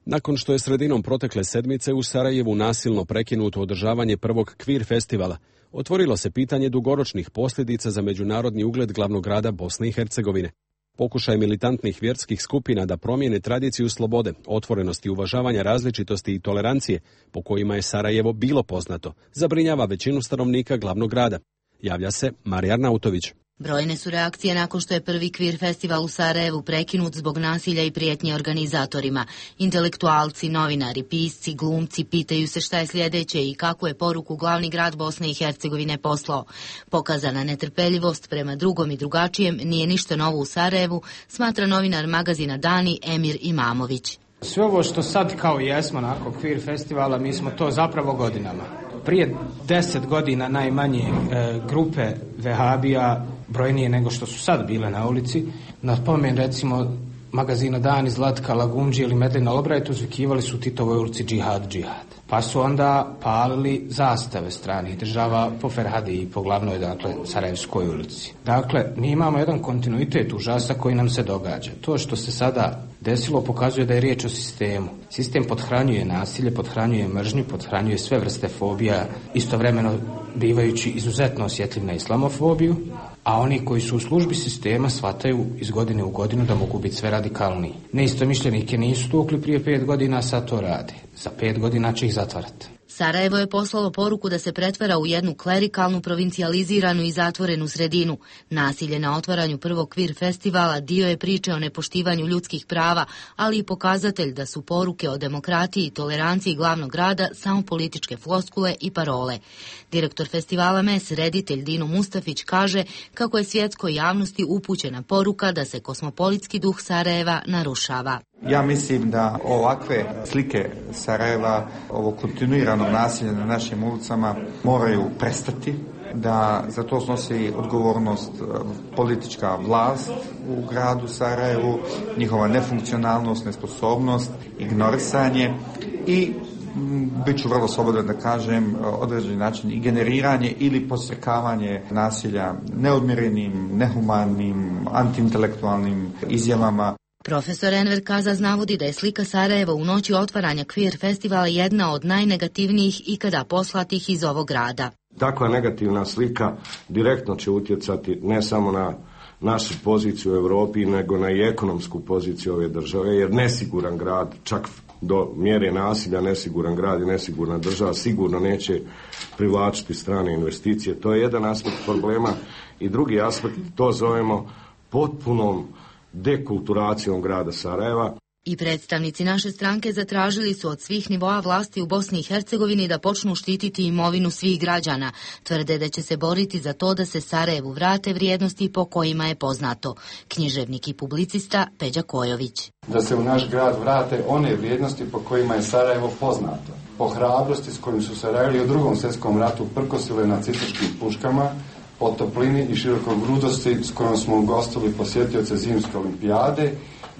Nakon što je sredinom protekle sedmice u Sarajevu nasilno prekinuto održavanje prvog Kvir festivala, otvorilo se pitanje dugoročnih posljedica za međunarodni ugled glavnog grada Bosne i Hercegovine. Pokušaj militantnih vjerskih skupina da promijene tradiciju slobode, otvorenosti, uvažavanja različitosti i tolerancije, po kojima je Sarajevo bilo poznato, zabrinjava većinu stanovnika glavnog grada. Javlja se Marija Arnautović. Brojne su reakcije nakon što je prvi Kvir festival u Sarajevu prekinut zbog nasilja i prijetnje organizatorima. Intelektualci, novinari, pisci, glumci pitaju se šta je sljedeće i kakvu je poruku glavni grad Bosne i Hercegovine poslao. Pokazana netrpeljivost prema drugom i drugačijem nije ništa novo u Sarajevu, smatra novinar magazina Dani Emir Imamović. Sve ovo što sad kao jesmo nakon Kvir festivala, mi smo to zapravo godinama. Prije deset godina najmanje e, grupe vehabija, brojnije nego što su sad bile na ulici, na pomen recimo magazina Dani, Zlatka, Lagundži ili Medlina Albright uzvikivali su u Titovoj ulici džihad, džihad. Pa su onda palili zastave stranih država po Ferhadi i po glavnoj, dakle, Sarajevskoj ulici. Dakle, mi imamo jedan kontinuitet užasa koji nam se događa. To što se sada desilo pokazuje da je riječ o sistemu. Sistem pothranjuje nasilje, pothranjuje mržnju, pothranjuje sve vrste fobija, istovremeno bivajući izuzetno osjetljiv na islamofobiju, a oni koji su u službi sistema shvataju iz godine u godinu da mogu biti sve radikalniji. Neistomišljenike nisu tukli prije pet godina, sad to rade. Za pet godina će ih zatvarati. Sarajevo je poslalo poruku da se pretvara u jednu klerikalnu, provincijaliziranu i zatvorenu sredinu. Nasilje na otvaranju prvog Kvir festivala dio je priče o nepoštivanju ljudskih prava, ali i pokazatelj da su poruke o demokratiji i toleranciji glavnog grada samo političke floskule i parole. Direktor festivala M E S, reditelj Dino Mustafić, kaže kako je svjetskoj javnosti upućena poruka da se kosmopolitski duh Sarajeva narušava. Ja mislim da ovakve slike Sarajeva, ovo kontinuirano nasilje na našim ulicama moraju prestati, da za to snosi odgovornost politička vlast u gradu Sarajevu, njihova nefunkcionalnost, nesposobnost, ignorisanje i bit ću vrlo slobodan da kažem određeni način i generiranje ili podstrekavanje nasilja neodmjerenim, nehumanim, antiintelektualnim izjavama. Profesor Enver Kazaz navodi da je slika Sarajeva u noći otvaranja Kvir festivala jedna od najnegativnijih ikada poslatih iz ovog grada. Takva negativna slika direktno će utjecati ne samo na našu poziciju u Europi, nego na i ekonomsku poziciju ove države, jer nesiguran grad, čak do mjere nasilja, nesiguran grad i nesigurna država sigurno neće privlačiti strane investicije. To je jedan aspekt problema i drugi aspekt, to zovemo potpunom dekulturacijom grada Sarajeva. I predstavnici naše stranke zatražili su od svih nivoa vlasti u Bosni i Hercegovini da počnu štititi imovinu svih građana. Tvrde da će se boriti za to da se Sarajevu vrate vrijednosti po kojima je poznato. Književnik i publicista Peđa Kojović. Da se u naš grad vrate one vrijednosti po kojima je Sarajevo poznato. Po hrabrosti s kojim su Sarajevili u drugom svjetskom ratu prkosile nacističkim puškama, po toplini i širokogrudosti s kojom smo ugostili posjetioce zimske olimpijade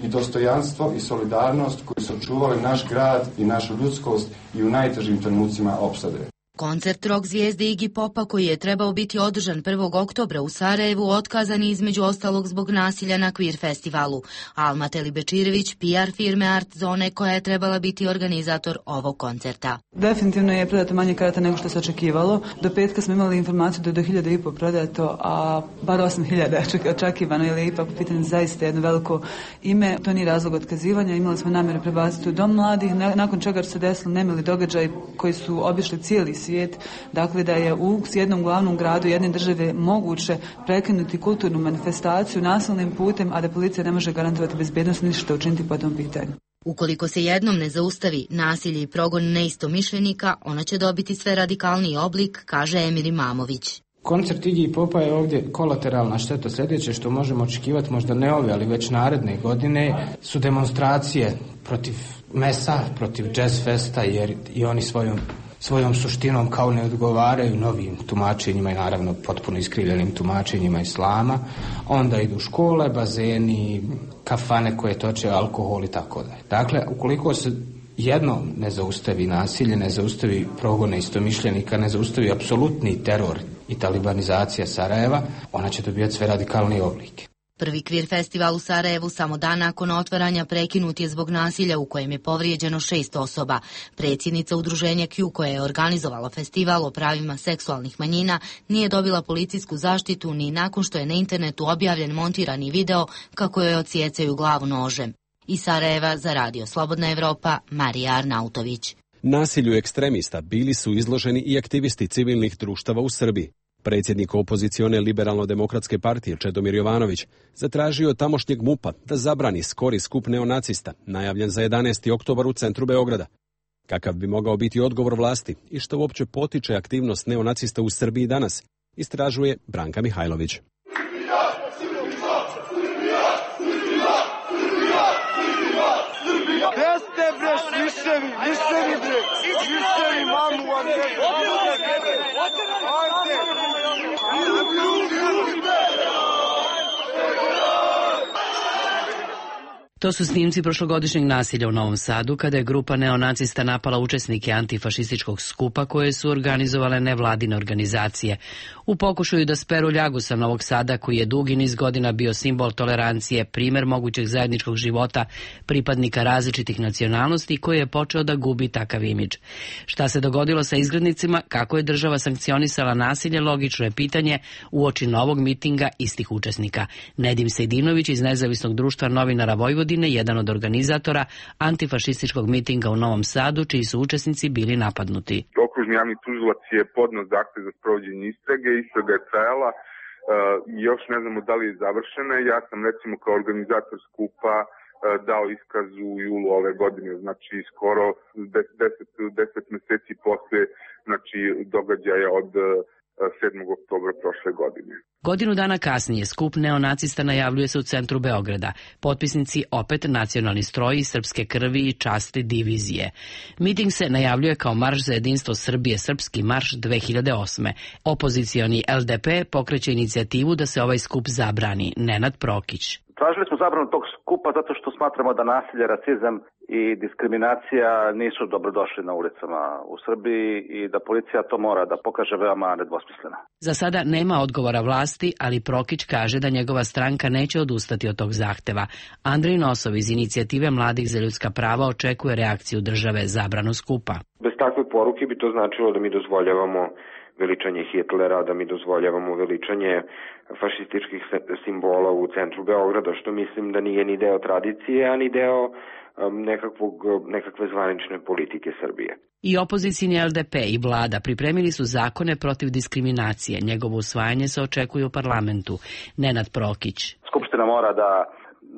i dostojanstvo i solidarnost koji su čuvali naš grad i našu ljudskost i u najtežim trenucima opsade. Koncert rock zvijezde Iggy Popa koji je trebao biti održan prvog oktobra u Sarajevu otkazan je između ostalog zbog nasilja na Queer festivalu. Alma Telibečirević, P R firme Art Zone koja je trebala biti organizator ovog koncerta. Definitivno je prodato manje karata nego što se očekivalo. Do petka smo imali informaciju da je do hiljada i po prodato, a bar osam hiljada je očekivano, jer je ipak pitanje zaista jedno veliko ime. To nije razlog otkazivanja. Imali smo namjeru prebaciti u Dom mladih, nakon čega se desilo nemili događaj koji su obišli cijeli svijet, dakle da je u jednom glavnom gradu jedne države moguće prekinuti kulturnu manifestaciju nasilnim putem, a da policija ne može garantovati bezbednost ništa učiniti po tom pitanju. Ukoliko se jednom ne zaustavi nasilje i progon neistomišljenika, ona će dobiti sve radikalniji oblik, kaže Emir Imamović. Koncert Iggy Popa je ovdje kolateralna šteta. Sljedeće što možemo očekivati, možda ne ove, ali već naredne godine, su demonstracije protiv mesa, protiv jazz festa, jer i oni svojom svojom suštinom kao ne odgovaraju novim tumačenjima i naravno potpuno iskrivljenim tumačenjima islama. Onda idu škole, bazeni, kafane koje toče alkohol i tako dalje. Dakle, ukoliko se jedno ne zaustavi nasilje, ne zaustavi progone istomišljenika, ne zaustavi apsolutni teror i talibanizacija Sarajeva, ona će dobijati sve radikalnije oblike. Prvi Queer festival u Sarajevu samo dan nakon otvaranja prekinut je zbog nasilja u kojem je povrijeđeno šest osoba. Predsjednica udruženja Q koja je organizovala festival o pravima seksualnih manjina nije dobila policijsku zaštitu ni nakon što je na internetu objavljen montirani video kako joj odsjecaju glavu nožem. Iz Sarajeva za Radio Slobodna Evropa, Marija Arnautović. Nasilju ekstremista bili su izloženi i aktivisti civilnih društava u Srbiji. Predsjednik opozicione Liberalno-demokratske partije Čedomir Jovanović zatražio od tamošnjeg MUP-a da zabrani skori skup neonacista, najavljen za jedanaesti oktobar u centru Beograda. Kakav bi mogao biti odgovor vlasti i što uopće potiče aktivnost neonacista u Srbiji danas, istražuje Branka Mihajlović. To su snimci prošlogodišnjeg nasilja u Novom Sadu, kada je grupa neonacista napala učesnike antifašističkog skupa koje su organizovale nevladine organizacije. U pokušaju da speru ljagu sa Novog Sada, koji je dugi niz godina bio simbol tolerancije, primjer mogućeg zajedničkog života pripadnika različitih nacionalnosti koji je počeo da gubi takav imidž. Šta se dogodilo sa izgrednicima, kako je država sankcionisala nasilje, logično je pitanje uoči novog mitinga istih učesnika. Nedim Sejdinović iz Nezavisnog društva novinara Vojvodine, jedan od organizatora antifašističkog mitinga u Novom Sadu, čiji su učesnici bili napadnuti. Okružni javni tužilac je podneo zahtev za sprovođenje istrage, istraga je trajala, uh, još ne znamo da li je završena. Ja sam recimo kao organizator skupa uh, dao iskaz u julu ove godine, znači skoro deset mjeseci posle znači, događaja od uh, sedmog oktobra prošle godine. Godinu dana kasnije skup neonacista najavljuje se u centru Beograda. Potpisnici opet nacionalni stroji, srpske krvi i časti divizije. Miting se najavljuje kao marš za jedinstvo Srbije, srpski marš dve hiljade osme. Opozicioni L D P pokreće inicijativu da se ovaj skup zabrani. Nenad Prokić. Tražili smo zabranu tog skupa zato što smatramo da nasilje, rasizam i diskriminacija nisu dobrodošli na ulicama u Srbiji i da policija to mora da pokaže veoma nedvosmisleno. Za sada nema odgovora vlasti, ali Prokić kaže da njegova stranka neće odustati od tog zahteva. Andrej Nosov iz inicijative Mladih za ljudska prava očekuje reakciju države zabranu skupa. Bez takve poruke bi to značilo da mi dozvoljavamo veličanje Hitlera, da mi dozvoljavamo veličanje fašističkih simbola u centru Beograda, što mislim da nije ni deo tradicije, a ni deo um, nekakvog, nekakve zvanične politike Srbije. I opozicijni L D P i vlada pripremili su zakone protiv diskriminacije. Njegovo usvajanje se očekuje u parlamentu. Nenad Prokić. Skupština mora da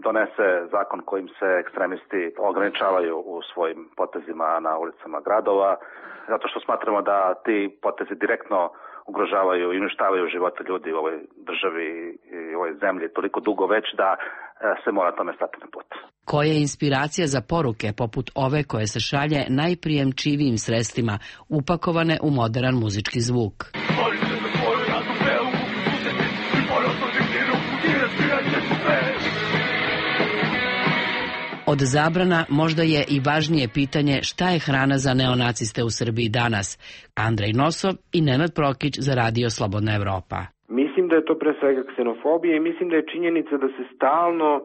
donese zakon kojim se ekstremisti ograničavaju u svojim potezima na ulicama gradova, zato što smatramo da ti potezi direktno ugrožavaju i uništavaju živote ljudi u ovoj državi i u ovoj zemlji toliko dugo već da se mora tome stati na put. Koja je inspiracija za poruke poput ove koje se šalje najprijemčivijim sredstvima upakovane u modern muzički zvuk? Od zabrana možda je i važnije pitanje šta je hrana za neonaciste u Srbiji danas. Andrej Nosov i Nenad Prokić za Radio Slobodna Evropa. Mislim da je to pre svega ksenofobija i mislim da je činjenica da se stalno uh,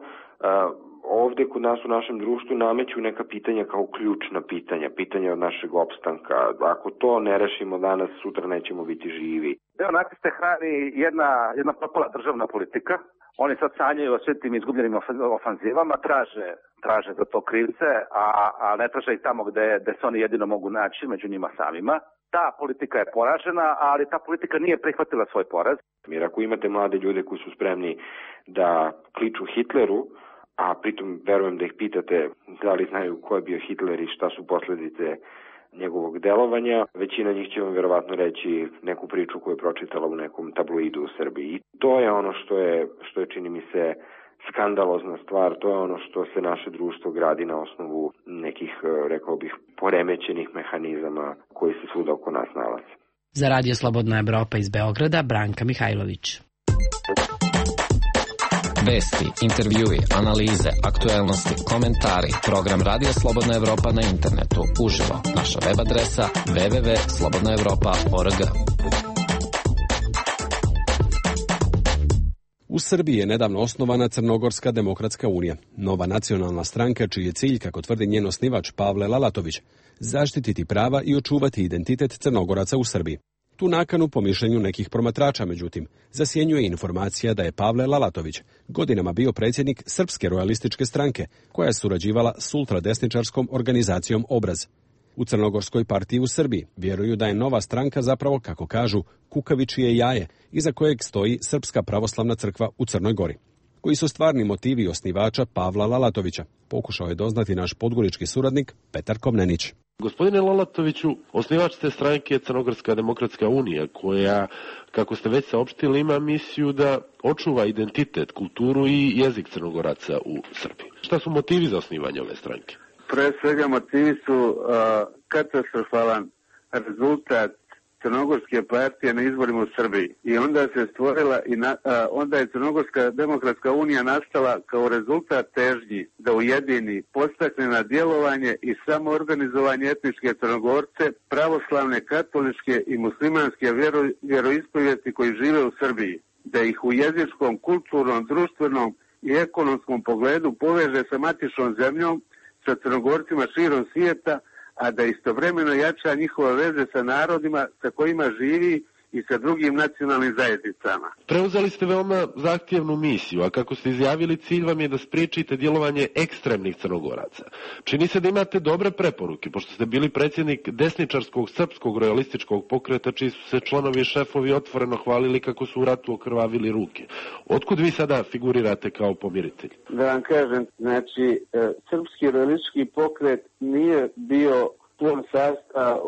ovde kod nas u našem društvu nameću neka pitanja kao ključna pitanja, pitanja od našeg opstanka. Ako to ne rešimo danas, sutra nećemo biti živi. Neonaciste hrani jedna, jedna propala državna politika. Oni sad sanjaju o svim tim izgubljenim ofanzivama, traže, traže za to krivce, a, a ne traže ih tamo gde, gde se oni jedino mogu naći, među njima samima. Ta politika je poražena, ali ta politika nije prihvatila svoj poraz. Jer ako imate mlade ljude koji su spremni da kliču Hitleru, a pritom verujem da ih pitate da li znaju ko je bio Hitler i šta su posledice njegovog delovanja, većina njih će vam verovatno reći neku priču koju je pročitala u nekom tabloidu u Srbiji. I to je ono što je, što je čini mi se skandalozna stvar, to je ono što se naše društvo gradi na osnovu nekih, rekao bih, poremećenih mehanizama koji se svuda oko nas nalaze. Za Radio Slobodna Evropa iz Beograda, Branka Mihajlović. Vesti, intervjui, analize, aktuelnosti, komentari. Program Radio Slobodna Evropa na internetu. Uživo. Naša web adresa w w w tačka slobodna evropa tačka org. U Srbiji je nedavno osnovana Crnogorska demokratska unija, nova nacionalna stranka čiji je cilj, kako tvrdi njen osnivač Pavle Lalatović, zaštititi prava i očuvati identitet Crnogoraca u Srbiji. Tu nakanu, po mišljenju nekih promatrača, međutim, zasjenjuje informacija da je Pavle Lalatović godinama bio predsjednik Srpske rojalističke stranke, koja je surađivala s ultradesničarskom organizacijom Obraz. U Crnogorskoj partiji u Srbiji vjeruju da je nova stranka zapravo, kako kažu, kukavičije jaje, iza kojeg stoji Srpska pravoslavna crkva u Crnoj Gori. Koji su stvarni motivi osnivača Pavla Lalatovića, pokušao je doznati naš podgorički suradnik Petar Komnenić. Gospodine Lalatoviću, osnivač te stranke je Crnogorska demokratska unija, koja, kako ste već saopštili, ima misiju da očuva identitet, kulturu i jezik Crnogoraca u Srbiji. Šta su motivi za osnivanje ove stranke? Pre svega motivi su uh, katastrofalan rezultat Crnogorske partije na izborima u Srbiji. I onda se stvorila i na, a, onda je Crnogorska demokratska unija nastala kao rezultat težnji da ujedini, podstakne na djelovanje i samoorganizovanje etničke Crnogorce, pravoslavne, katoličke i muslimanske vjero, vjeroispovijesti koji žive u Srbiji, da ih u jezičkom, kulturnom, društvenom i ekonomskom pogledu poveže sa matičnom zemljom, sa Crnogorcima širom svijeta, a da istovremeno jača njihove veze sa narodima sa kojima živi i sa drugim nacionalnim zajednicama. Preuzeli ste veoma zahtjevnu misiju, a kako ste izjavili, cilj vam je da spriječite djelovanje ekstremnih Crnogoraca. Čini se da imate dobre preporuke, pošto ste bili predsjednik desničarskog srpskog rojalističkog pokreta, čiji su se članovi i šefovi otvoreno hvalili kako su u ratu okrvavili ruke. Otkud vi sada figurirate kao pomiritelj? Da vam kažem, znači, srpski rojalistički pokret nije bio plon sastav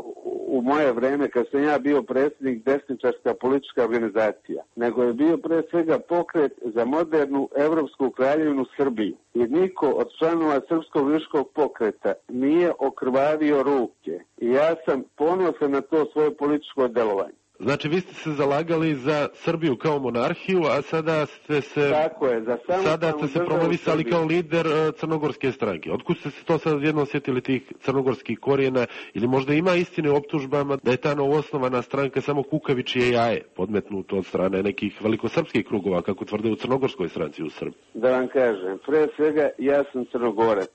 u moje vreme kad sam ja bio predsjednik desničarska politička organizacija, nego je bio pre svega pokret za modernu evropsku kraljevinu Srbiju. I niko od članova srpskog rojalističkog pokreta nije okrvavio ruke. I ja sam ponosan na to svoje političko delovanje. Znači, vi ste se zalagali za Srbiju kao monarhiju, a sada ste se, Tako je, za sada ste se promovisali kao lider uh, crnogorske stranke. Otkud ste se to sad jedno osjetili tih crnogorskih korijena, ili možda ima istine u optužbama da je ta novoosnovana stranka samo kukavičije jaje, podmetnuto od strane nekih velikosrpskih krugova, kako tvrde u crnogorskoj stranci u Srbiji? Da vam kažem, pre svega ja sam Crnogorac,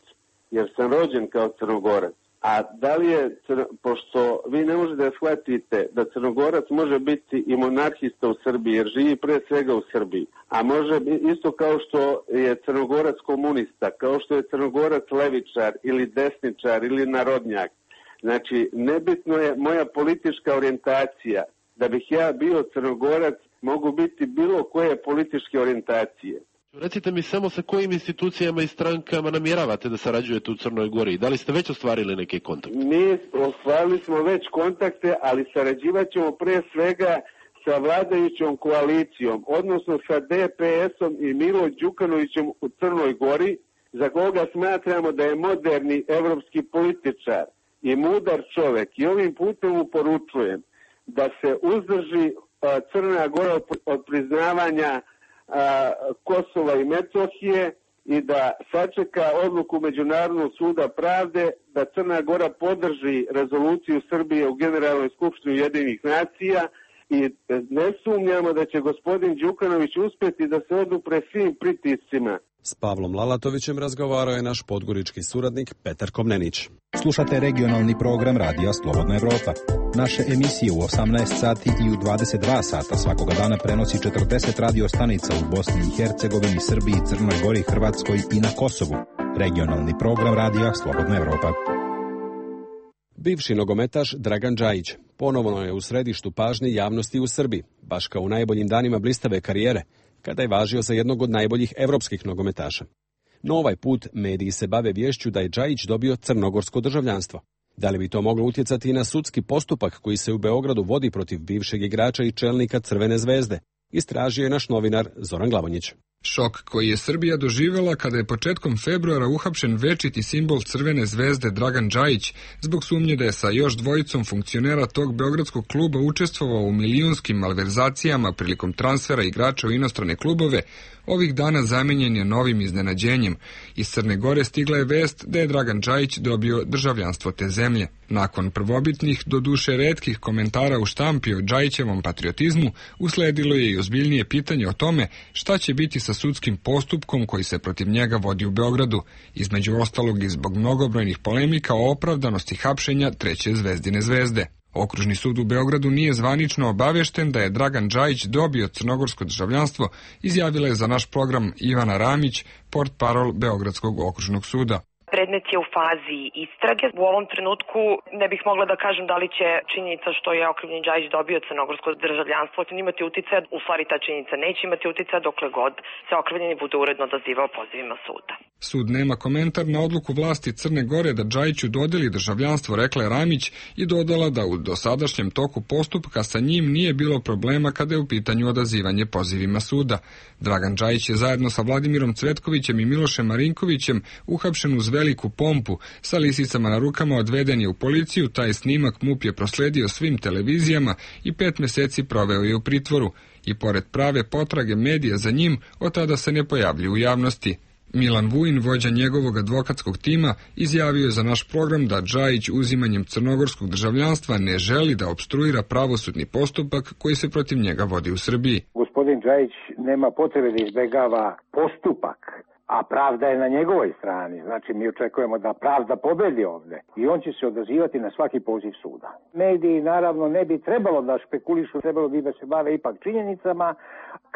jer sam rođen kao Crnogorac. A da li je, pošto vi ne možete da shvatite da Crnogorac može biti i monarhista u Srbiji, jer živi pre svega u Srbiji, a može isto kao što je Crnogorac komunista, kao što je Crnogorac levičar ili desničar ili narodnjak. Znači, nebitno je moja politička orijentacija. Da bih ja bio Crnogorac, mogu biti bilo koje političke orijentacije. Recite mi samo sa kojim institucijama i strankama namjeravate da sarađujete u Crnoj Gori? Da li ste već ostvarili neke kontakte? Mi ostvarili smo već kontakte, ali sarađivat ćemo pre svega sa vladajućom koalicijom, odnosno sa D P S-om i Milo Đukanovićem u Crnoj Gori, za koga smatramo da je moderni evropski političar i mudar čovek. I ovim putem mu poručujem da se uzdrži a, Crna Gora od, od priznavanja a, Kosova i Metohije i da sačeka odluku Međunarodnog suda pravde da Crna Gora podrži rezoluciju Srbije u Generalnoj skupštini Ujedinjenih nacija i ne sumnjamo da će gospodin Đukanović uspjeti da se odupre svim pritiscima. S Pavlom Lalatovićem razgovarao je naš podgorički suradnik Petar Komnenić. Slušate regionalni program Radija Slobodna Evropa. Naše emisije u osamnaest sati i u dvadeset dva sata svakoga dana prenosi četrdeset radio stanica u Bosni i Hercegovini, Srbiji, Crnoj Gori, Hrvatskoj i na Kosovu. Regionalni program Radija Slobodna Evropa. Bivši nogometaš Dragan Džajić ponovno je u središtu pažnje javnosti u Srbiji, baš kao u najboljim danima blistave karijere, kada je važio za jednog od najboljih evropskih nogometaša. No ovaj put mediji se bave viješću da je Džajić dobio crnogorsko državljanstvo. Da li bi to moglo utjecati i na sudski postupak koji se u Beogradu vodi protiv bivšeg igrača i čelnika Crvene zvezde? Istražio je naš novinar Zoran Glavonjić. Šok koji je Srbija doživjela kada je početkom februara uhapšen večiti simbol Crvene zvezde Dragan Džajić zbog sumnje da je sa još dvojicom funkcionera tog beogradskog kluba učestvovao u milijunskim malverzacijama prilikom transfera igrača u inostrane klubove, ovih dana zamenjen je novim iznenađenjem. Iz Crne Gore stigla je vest da je Dragan Džajić dobio državljanstvo te zemlje. Nakon prvobitnih, doduše retkih komentara u štampi o Džajićevom patriotizmu, usledilo je i ozbiljnije pitanje o tome šta će biti sa sudskim postupkom koji se protiv njega vodi u Beogradu, između ostalog i zbog mnogobrojnih polemika o opravdanosti hapšenja treće zvezdine zvezde. Okružni sud u Beogradu nije zvanično obavešten da je Dragan Džajić dobio crnogorsko državljanstvo, izjavila je za naš program Ivana Ramić, portparol Beogradskog okružnog suda. Predmet je u fazi istrage. U ovom trenutku ne bih mogla da kažem da li će činjenica što je okrivljeni Džajić dobio crnogorsko državljanstvo imati uticaja. U stvari ta činjenica neće imati uticaja dokle god se okrivljeni bude uredno odazivao pozivima suda. Sud nema komentar na odluku vlasti Crne Gore da Džajiću dodeli državljanstvo, rekla je Ramić i dodala da u dosadašnjem toku postupka sa njim nije bilo problema kada je u pitanju odazivanje pozivima suda. Dragan Džajić je zajedno sa Vladimirom Cvetkovićem i Milošem Marinkovićem uhapšen uz veliku pompu, sa lisicama na rukama odveden je u policiju, taj snimak MUP je prosledio svim televizijama i pet meseci proveo je u pritvoru. I pored prave potrage medija za njim, od tada se ne pojavlju u javnosti. Milan Vujin, vođa njegovog advokatskog tima, izjavio je za naš program da Džajić uzimanjem crnogorskog državljanstva ne želi da opstruira pravosudni postupak koji se protiv njega vodi u Srbiji. Gospodin Džajić nema potrebe da izbegava postupak, a pravda je na njegovoj strani. Znači, mi očekujemo da pravda pobedi ovde i on će se odazivati na svaki poziv suda. Mediji, naravno, ne bi trebalo da špekulišu, trebalo bi da se bave ipak činjenicama,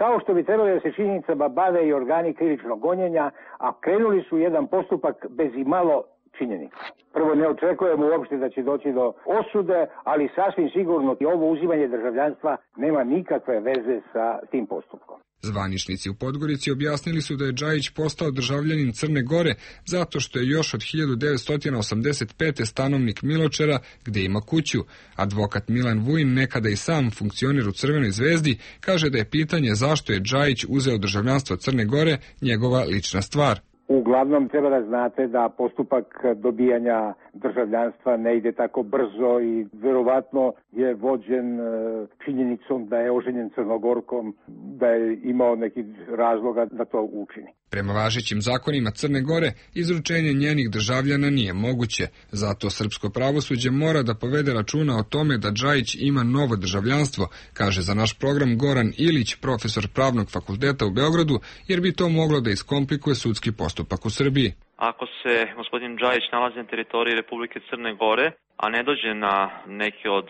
kao što bi trebalo da se činjenicama bave i organi krivičnog gonjenja, a krenuli su jedan postupak bez i malo činjenica. Prvo, ne očekujemo uopšte da će doći do osude, ali sasvim sigurno i ovo uzimanje državljanstva nema nikakve veze sa tim postupkom. Zvaničnici u Podgorici objasnili su da je Džajić postao državljanin Crne Gore zato što je još od hiljadu devetsto osamdeset pete stanovnik Miločera, gde ima kuću. Advokat Milan Vujin, nekada i sam funkcioner u Crvenoj zvezdi, kaže da je pitanje zašto je Džajić uzeo državljanstvo Crne Gore njegova lična stvar. Uglavnom treba da znate da postupak dobijanja državljanstva ne ide tako brzo i verovatno je vođen činjenicom da je oženjen Crnogorkom, da je imao neki razloga da to učini. Prema važećim zakonima Crne Gore, izručenje njenih državljana nije moguće, zato srpsko pravosuđe mora da povede računa o tome da Džajić ima novo državljanstvo, kaže za naš program Goran Ilić, profesor Pravnog fakulteta u Beogradu, jer bi to moglo da iskomplikuje sudski postupak u Srbiji. Ako se gospodin Džajić nalazi na teritoriji Republike Crne Gore, a ne dođe na neki od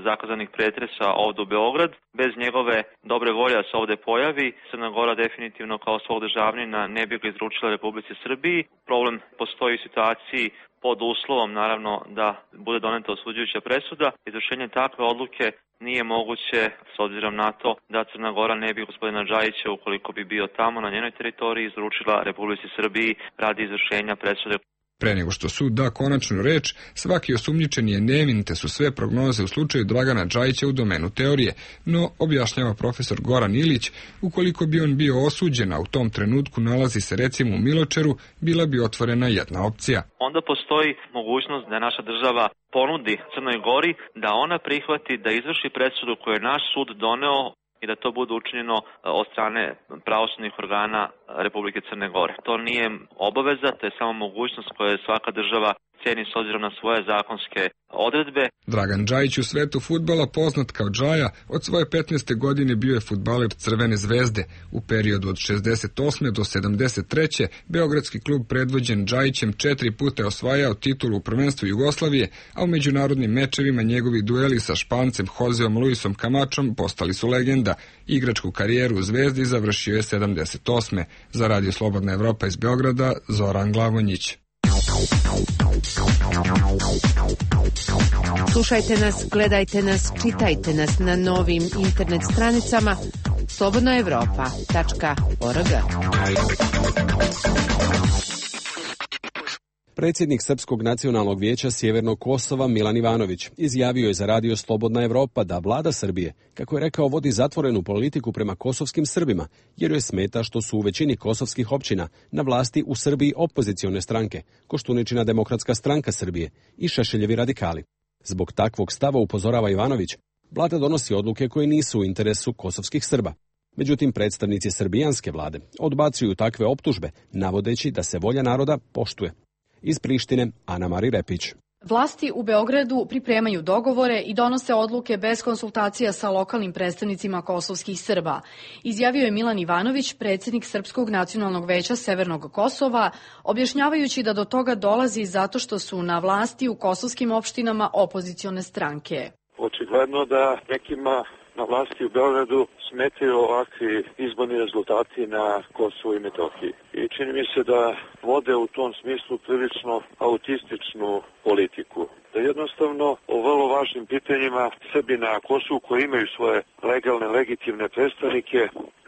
zakazanih pretresa ovdje u Beograd, bez njegove dobre volje da se ovdje pojavi, Crna Gora definitivno kao svog državnina ne bi ga izručila Republici Srbiji. Problem postoji u situaciji pod uslovom, naravno, da bude doneta osuđujuća presuda. Izvršenje takve odluke nije moguće, s obzirom na to da Crna Gora ne bi gospodina Džajića, ukoliko bi bio tamo na njenoj teritoriji, izručila Republici Srbiji radi izvršenja presude. Pre nego što sud da konačnu reč, svaki osumnjičen je nevin, te su sve prognoze u slučaju Dragana Džajića u domenu teorije, no, objašnjava profesor Goran Ilić, ukoliko bi on bio osuđen, a u tom trenutku nalazi se recimo u Miločeru, bila bi otvorena jedna opcija. Onda postoji mogućnost da naša država ponudi Crnoj Gori da ona prihvati da izvrši presudu koju je naš sud doneo i da to bude učinjeno od strane pravosudnih organa Republike Crne Gore. To nije obaveza, to je samo mogućnost koju svaka država ceni s obzirom na svoje zakonske odredbe. Dragan Džajić u svetu fudbala, poznat kao Džaja, od svoje petnaeste godine bio je fudbaler Crvene zvezde. U periodu od šezdeset osme do sedamdeset treće beogradski klub predvođen Džajićem četiri puta je osvajao titulu u prvenstvu Jugoslavije, a u međunarodnim mečevima njegovi dueli sa Špancem Joseom Luisom Camačom postali su legenda. Igračku karijeru u Zvezdi završio je sedamdeset osme Za Radio Slobodna Evropa iz Beograda, Zoran Glavonjić. Slušajte nas, gledajte nas, čitajte nas na novim internet stranicama slobodna evropa tačka org. Predsjednik Srpskog nacionalnog vijeća Sjevernog Kosova Milan Ivanović izjavio je za Radio Slobodna Evropa da vlada Srbije, kako je rekao, vodi zatvorenu politiku prema kosovskim Srbima, jer joj smeta što su u većini kosovskih općina na vlasti u Srbiji opozicione stranke, Koštuničina Demokratska stranka Srbije i Šešeljevi radikali. Zbog takvog stava, upozorava Ivanović, vlada donosi odluke koje nisu u interesu kosovskih Srba. Međutim, predstavnici srbijanske vlade odbacuju takve optužbe, navodeći da se volja naroda poštuje. Iz Prištine, Ana Mari Repić. Vlasti u Beogradu pripremaju dogovore i donose odluke bez konsultacija sa lokalnim predstavnicima kosovskih Srba, izjavio je Milan Ivanović, predsjednik Srpskog nacionalnog veća Severnog Kosova, objašnjavajući da do toga dolazi zato što su na vlasti u kosovskim opštinama opozicione stranke. Očigledno da nekima na vlasti u Beogradu smetaju ovakvi izborni rezultati na Kosovu i Metohiji. I čini mi se da vode u tom smislu prilično autističnu politiku. Da jednostavno o vrlo važnim pitanjima Srbi na Kosovu koji imaju svoje legalne, legitimne predstavnike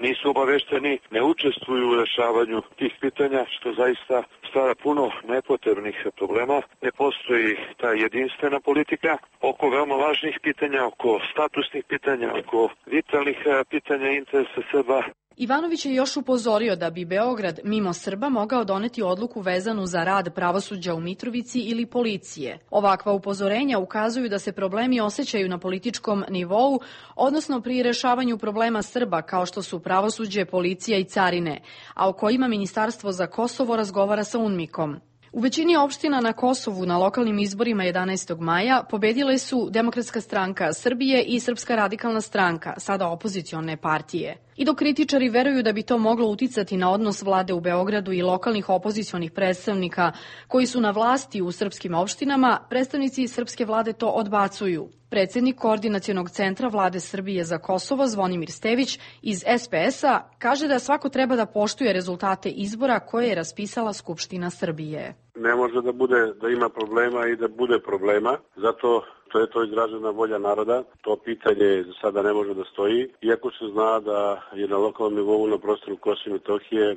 nisu obavešteni, ne učestvuju u rešavanju tih pitanja, što zaista stvara puno nepotrebnih problema. Ne postoji ta jedinstvena politika oko veoma važnih pitanja, oko statusnih pitanja, oko vitalnih pitanja interesa Srba. Ivanović je još upozorio da bi Beograd mimo Srba mogao doneti odluku vezanu za rad pravosuđa u Mitrovici ili policije. Ovakva upozorenja ukazuju da se problemi osjećaju na političkom nivou, odnosno pri rešavanju problema Srba kao što su pravosuđe, policija i carine, a o kojima Ministarstvo za Kosovo razgovara sa UNMIK-om. U većini opština na Kosovu na lokalnim izborima jedanaestog maja pobedile su Demokratska stranka Srbije i Srpska radikalna stranka, sada opozicione partije. I dok kritičari veruju da bi to moglo uticati na odnos vlade u Beogradu i lokalnih opozicionih predstavnika koji su na vlasti u srpskim opštinama, predstavnici srpske vlade to odbacuju. Predsjednik Koordinacionog centra vlade Srbije za Kosovo, Zvonimir Stević iz S P S-a, kaže da svako treba da poštuje rezultate izbora koje je raspisala Skupština Srbije. Ne može da bude da ima problema i da bude problema, zato to je to izražena volja naroda. To pitanje za sada ne može da stoji, iako se zna da je na lokalnom nivou na prostoru Kosova i Metohije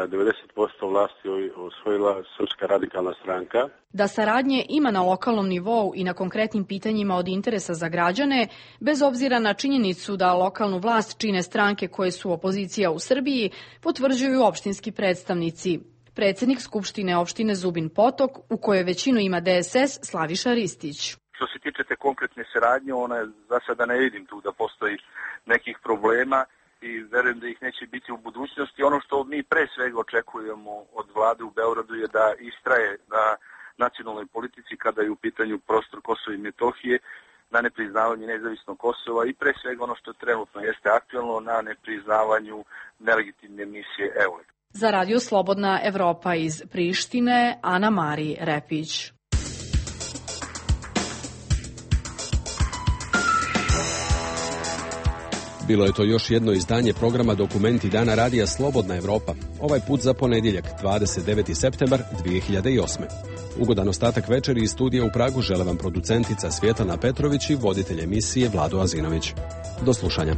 devedeset posto vlasti osvojila Srpska radikalna stranka. Da saradnje ima na lokalnom nivou i na konkretnim pitanjima od interesa za građane, bez obzira na činjenicu da lokalnu vlast čine stranke koje su opozicija u Srbiji, potvrđuju opštinski predstavnici. Predsjednik Skupštine opštine Zubin Potok, u kojoj većinu ima D S S, Slaviša Ristić. Što se tiče te konkretne saradnje, ona je za sada ne vidim tu da postoji nekih problema i verujem da ih neće biti u budućnosti. Ono što mi pre svega očekujemo od vlade u Beogradu je da istraje na nacionalnoj politici kada je u pitanju prostor Kosova i Metohije, na nepriznavanju nezavisnog Kosova i pre svega ono što trenutno jeste aktualno na nepriznavanju nelegitimne misije E U L E X. Za Radio Slobodna Evropa iz Prištine, Ana Mari Repić. Bilo je to još jedno izdanje programa Dokumenti dana radija Slobodna Evropa, ovaj put za ponedjeljak, dvadeset deveti septembar dvije hiljade osme. Ugodan ostatak večeri iz studija u Pragu žele vam producentica Svjetlana Petrović i voditelj emisije Vlado Azinović. Do slušanja.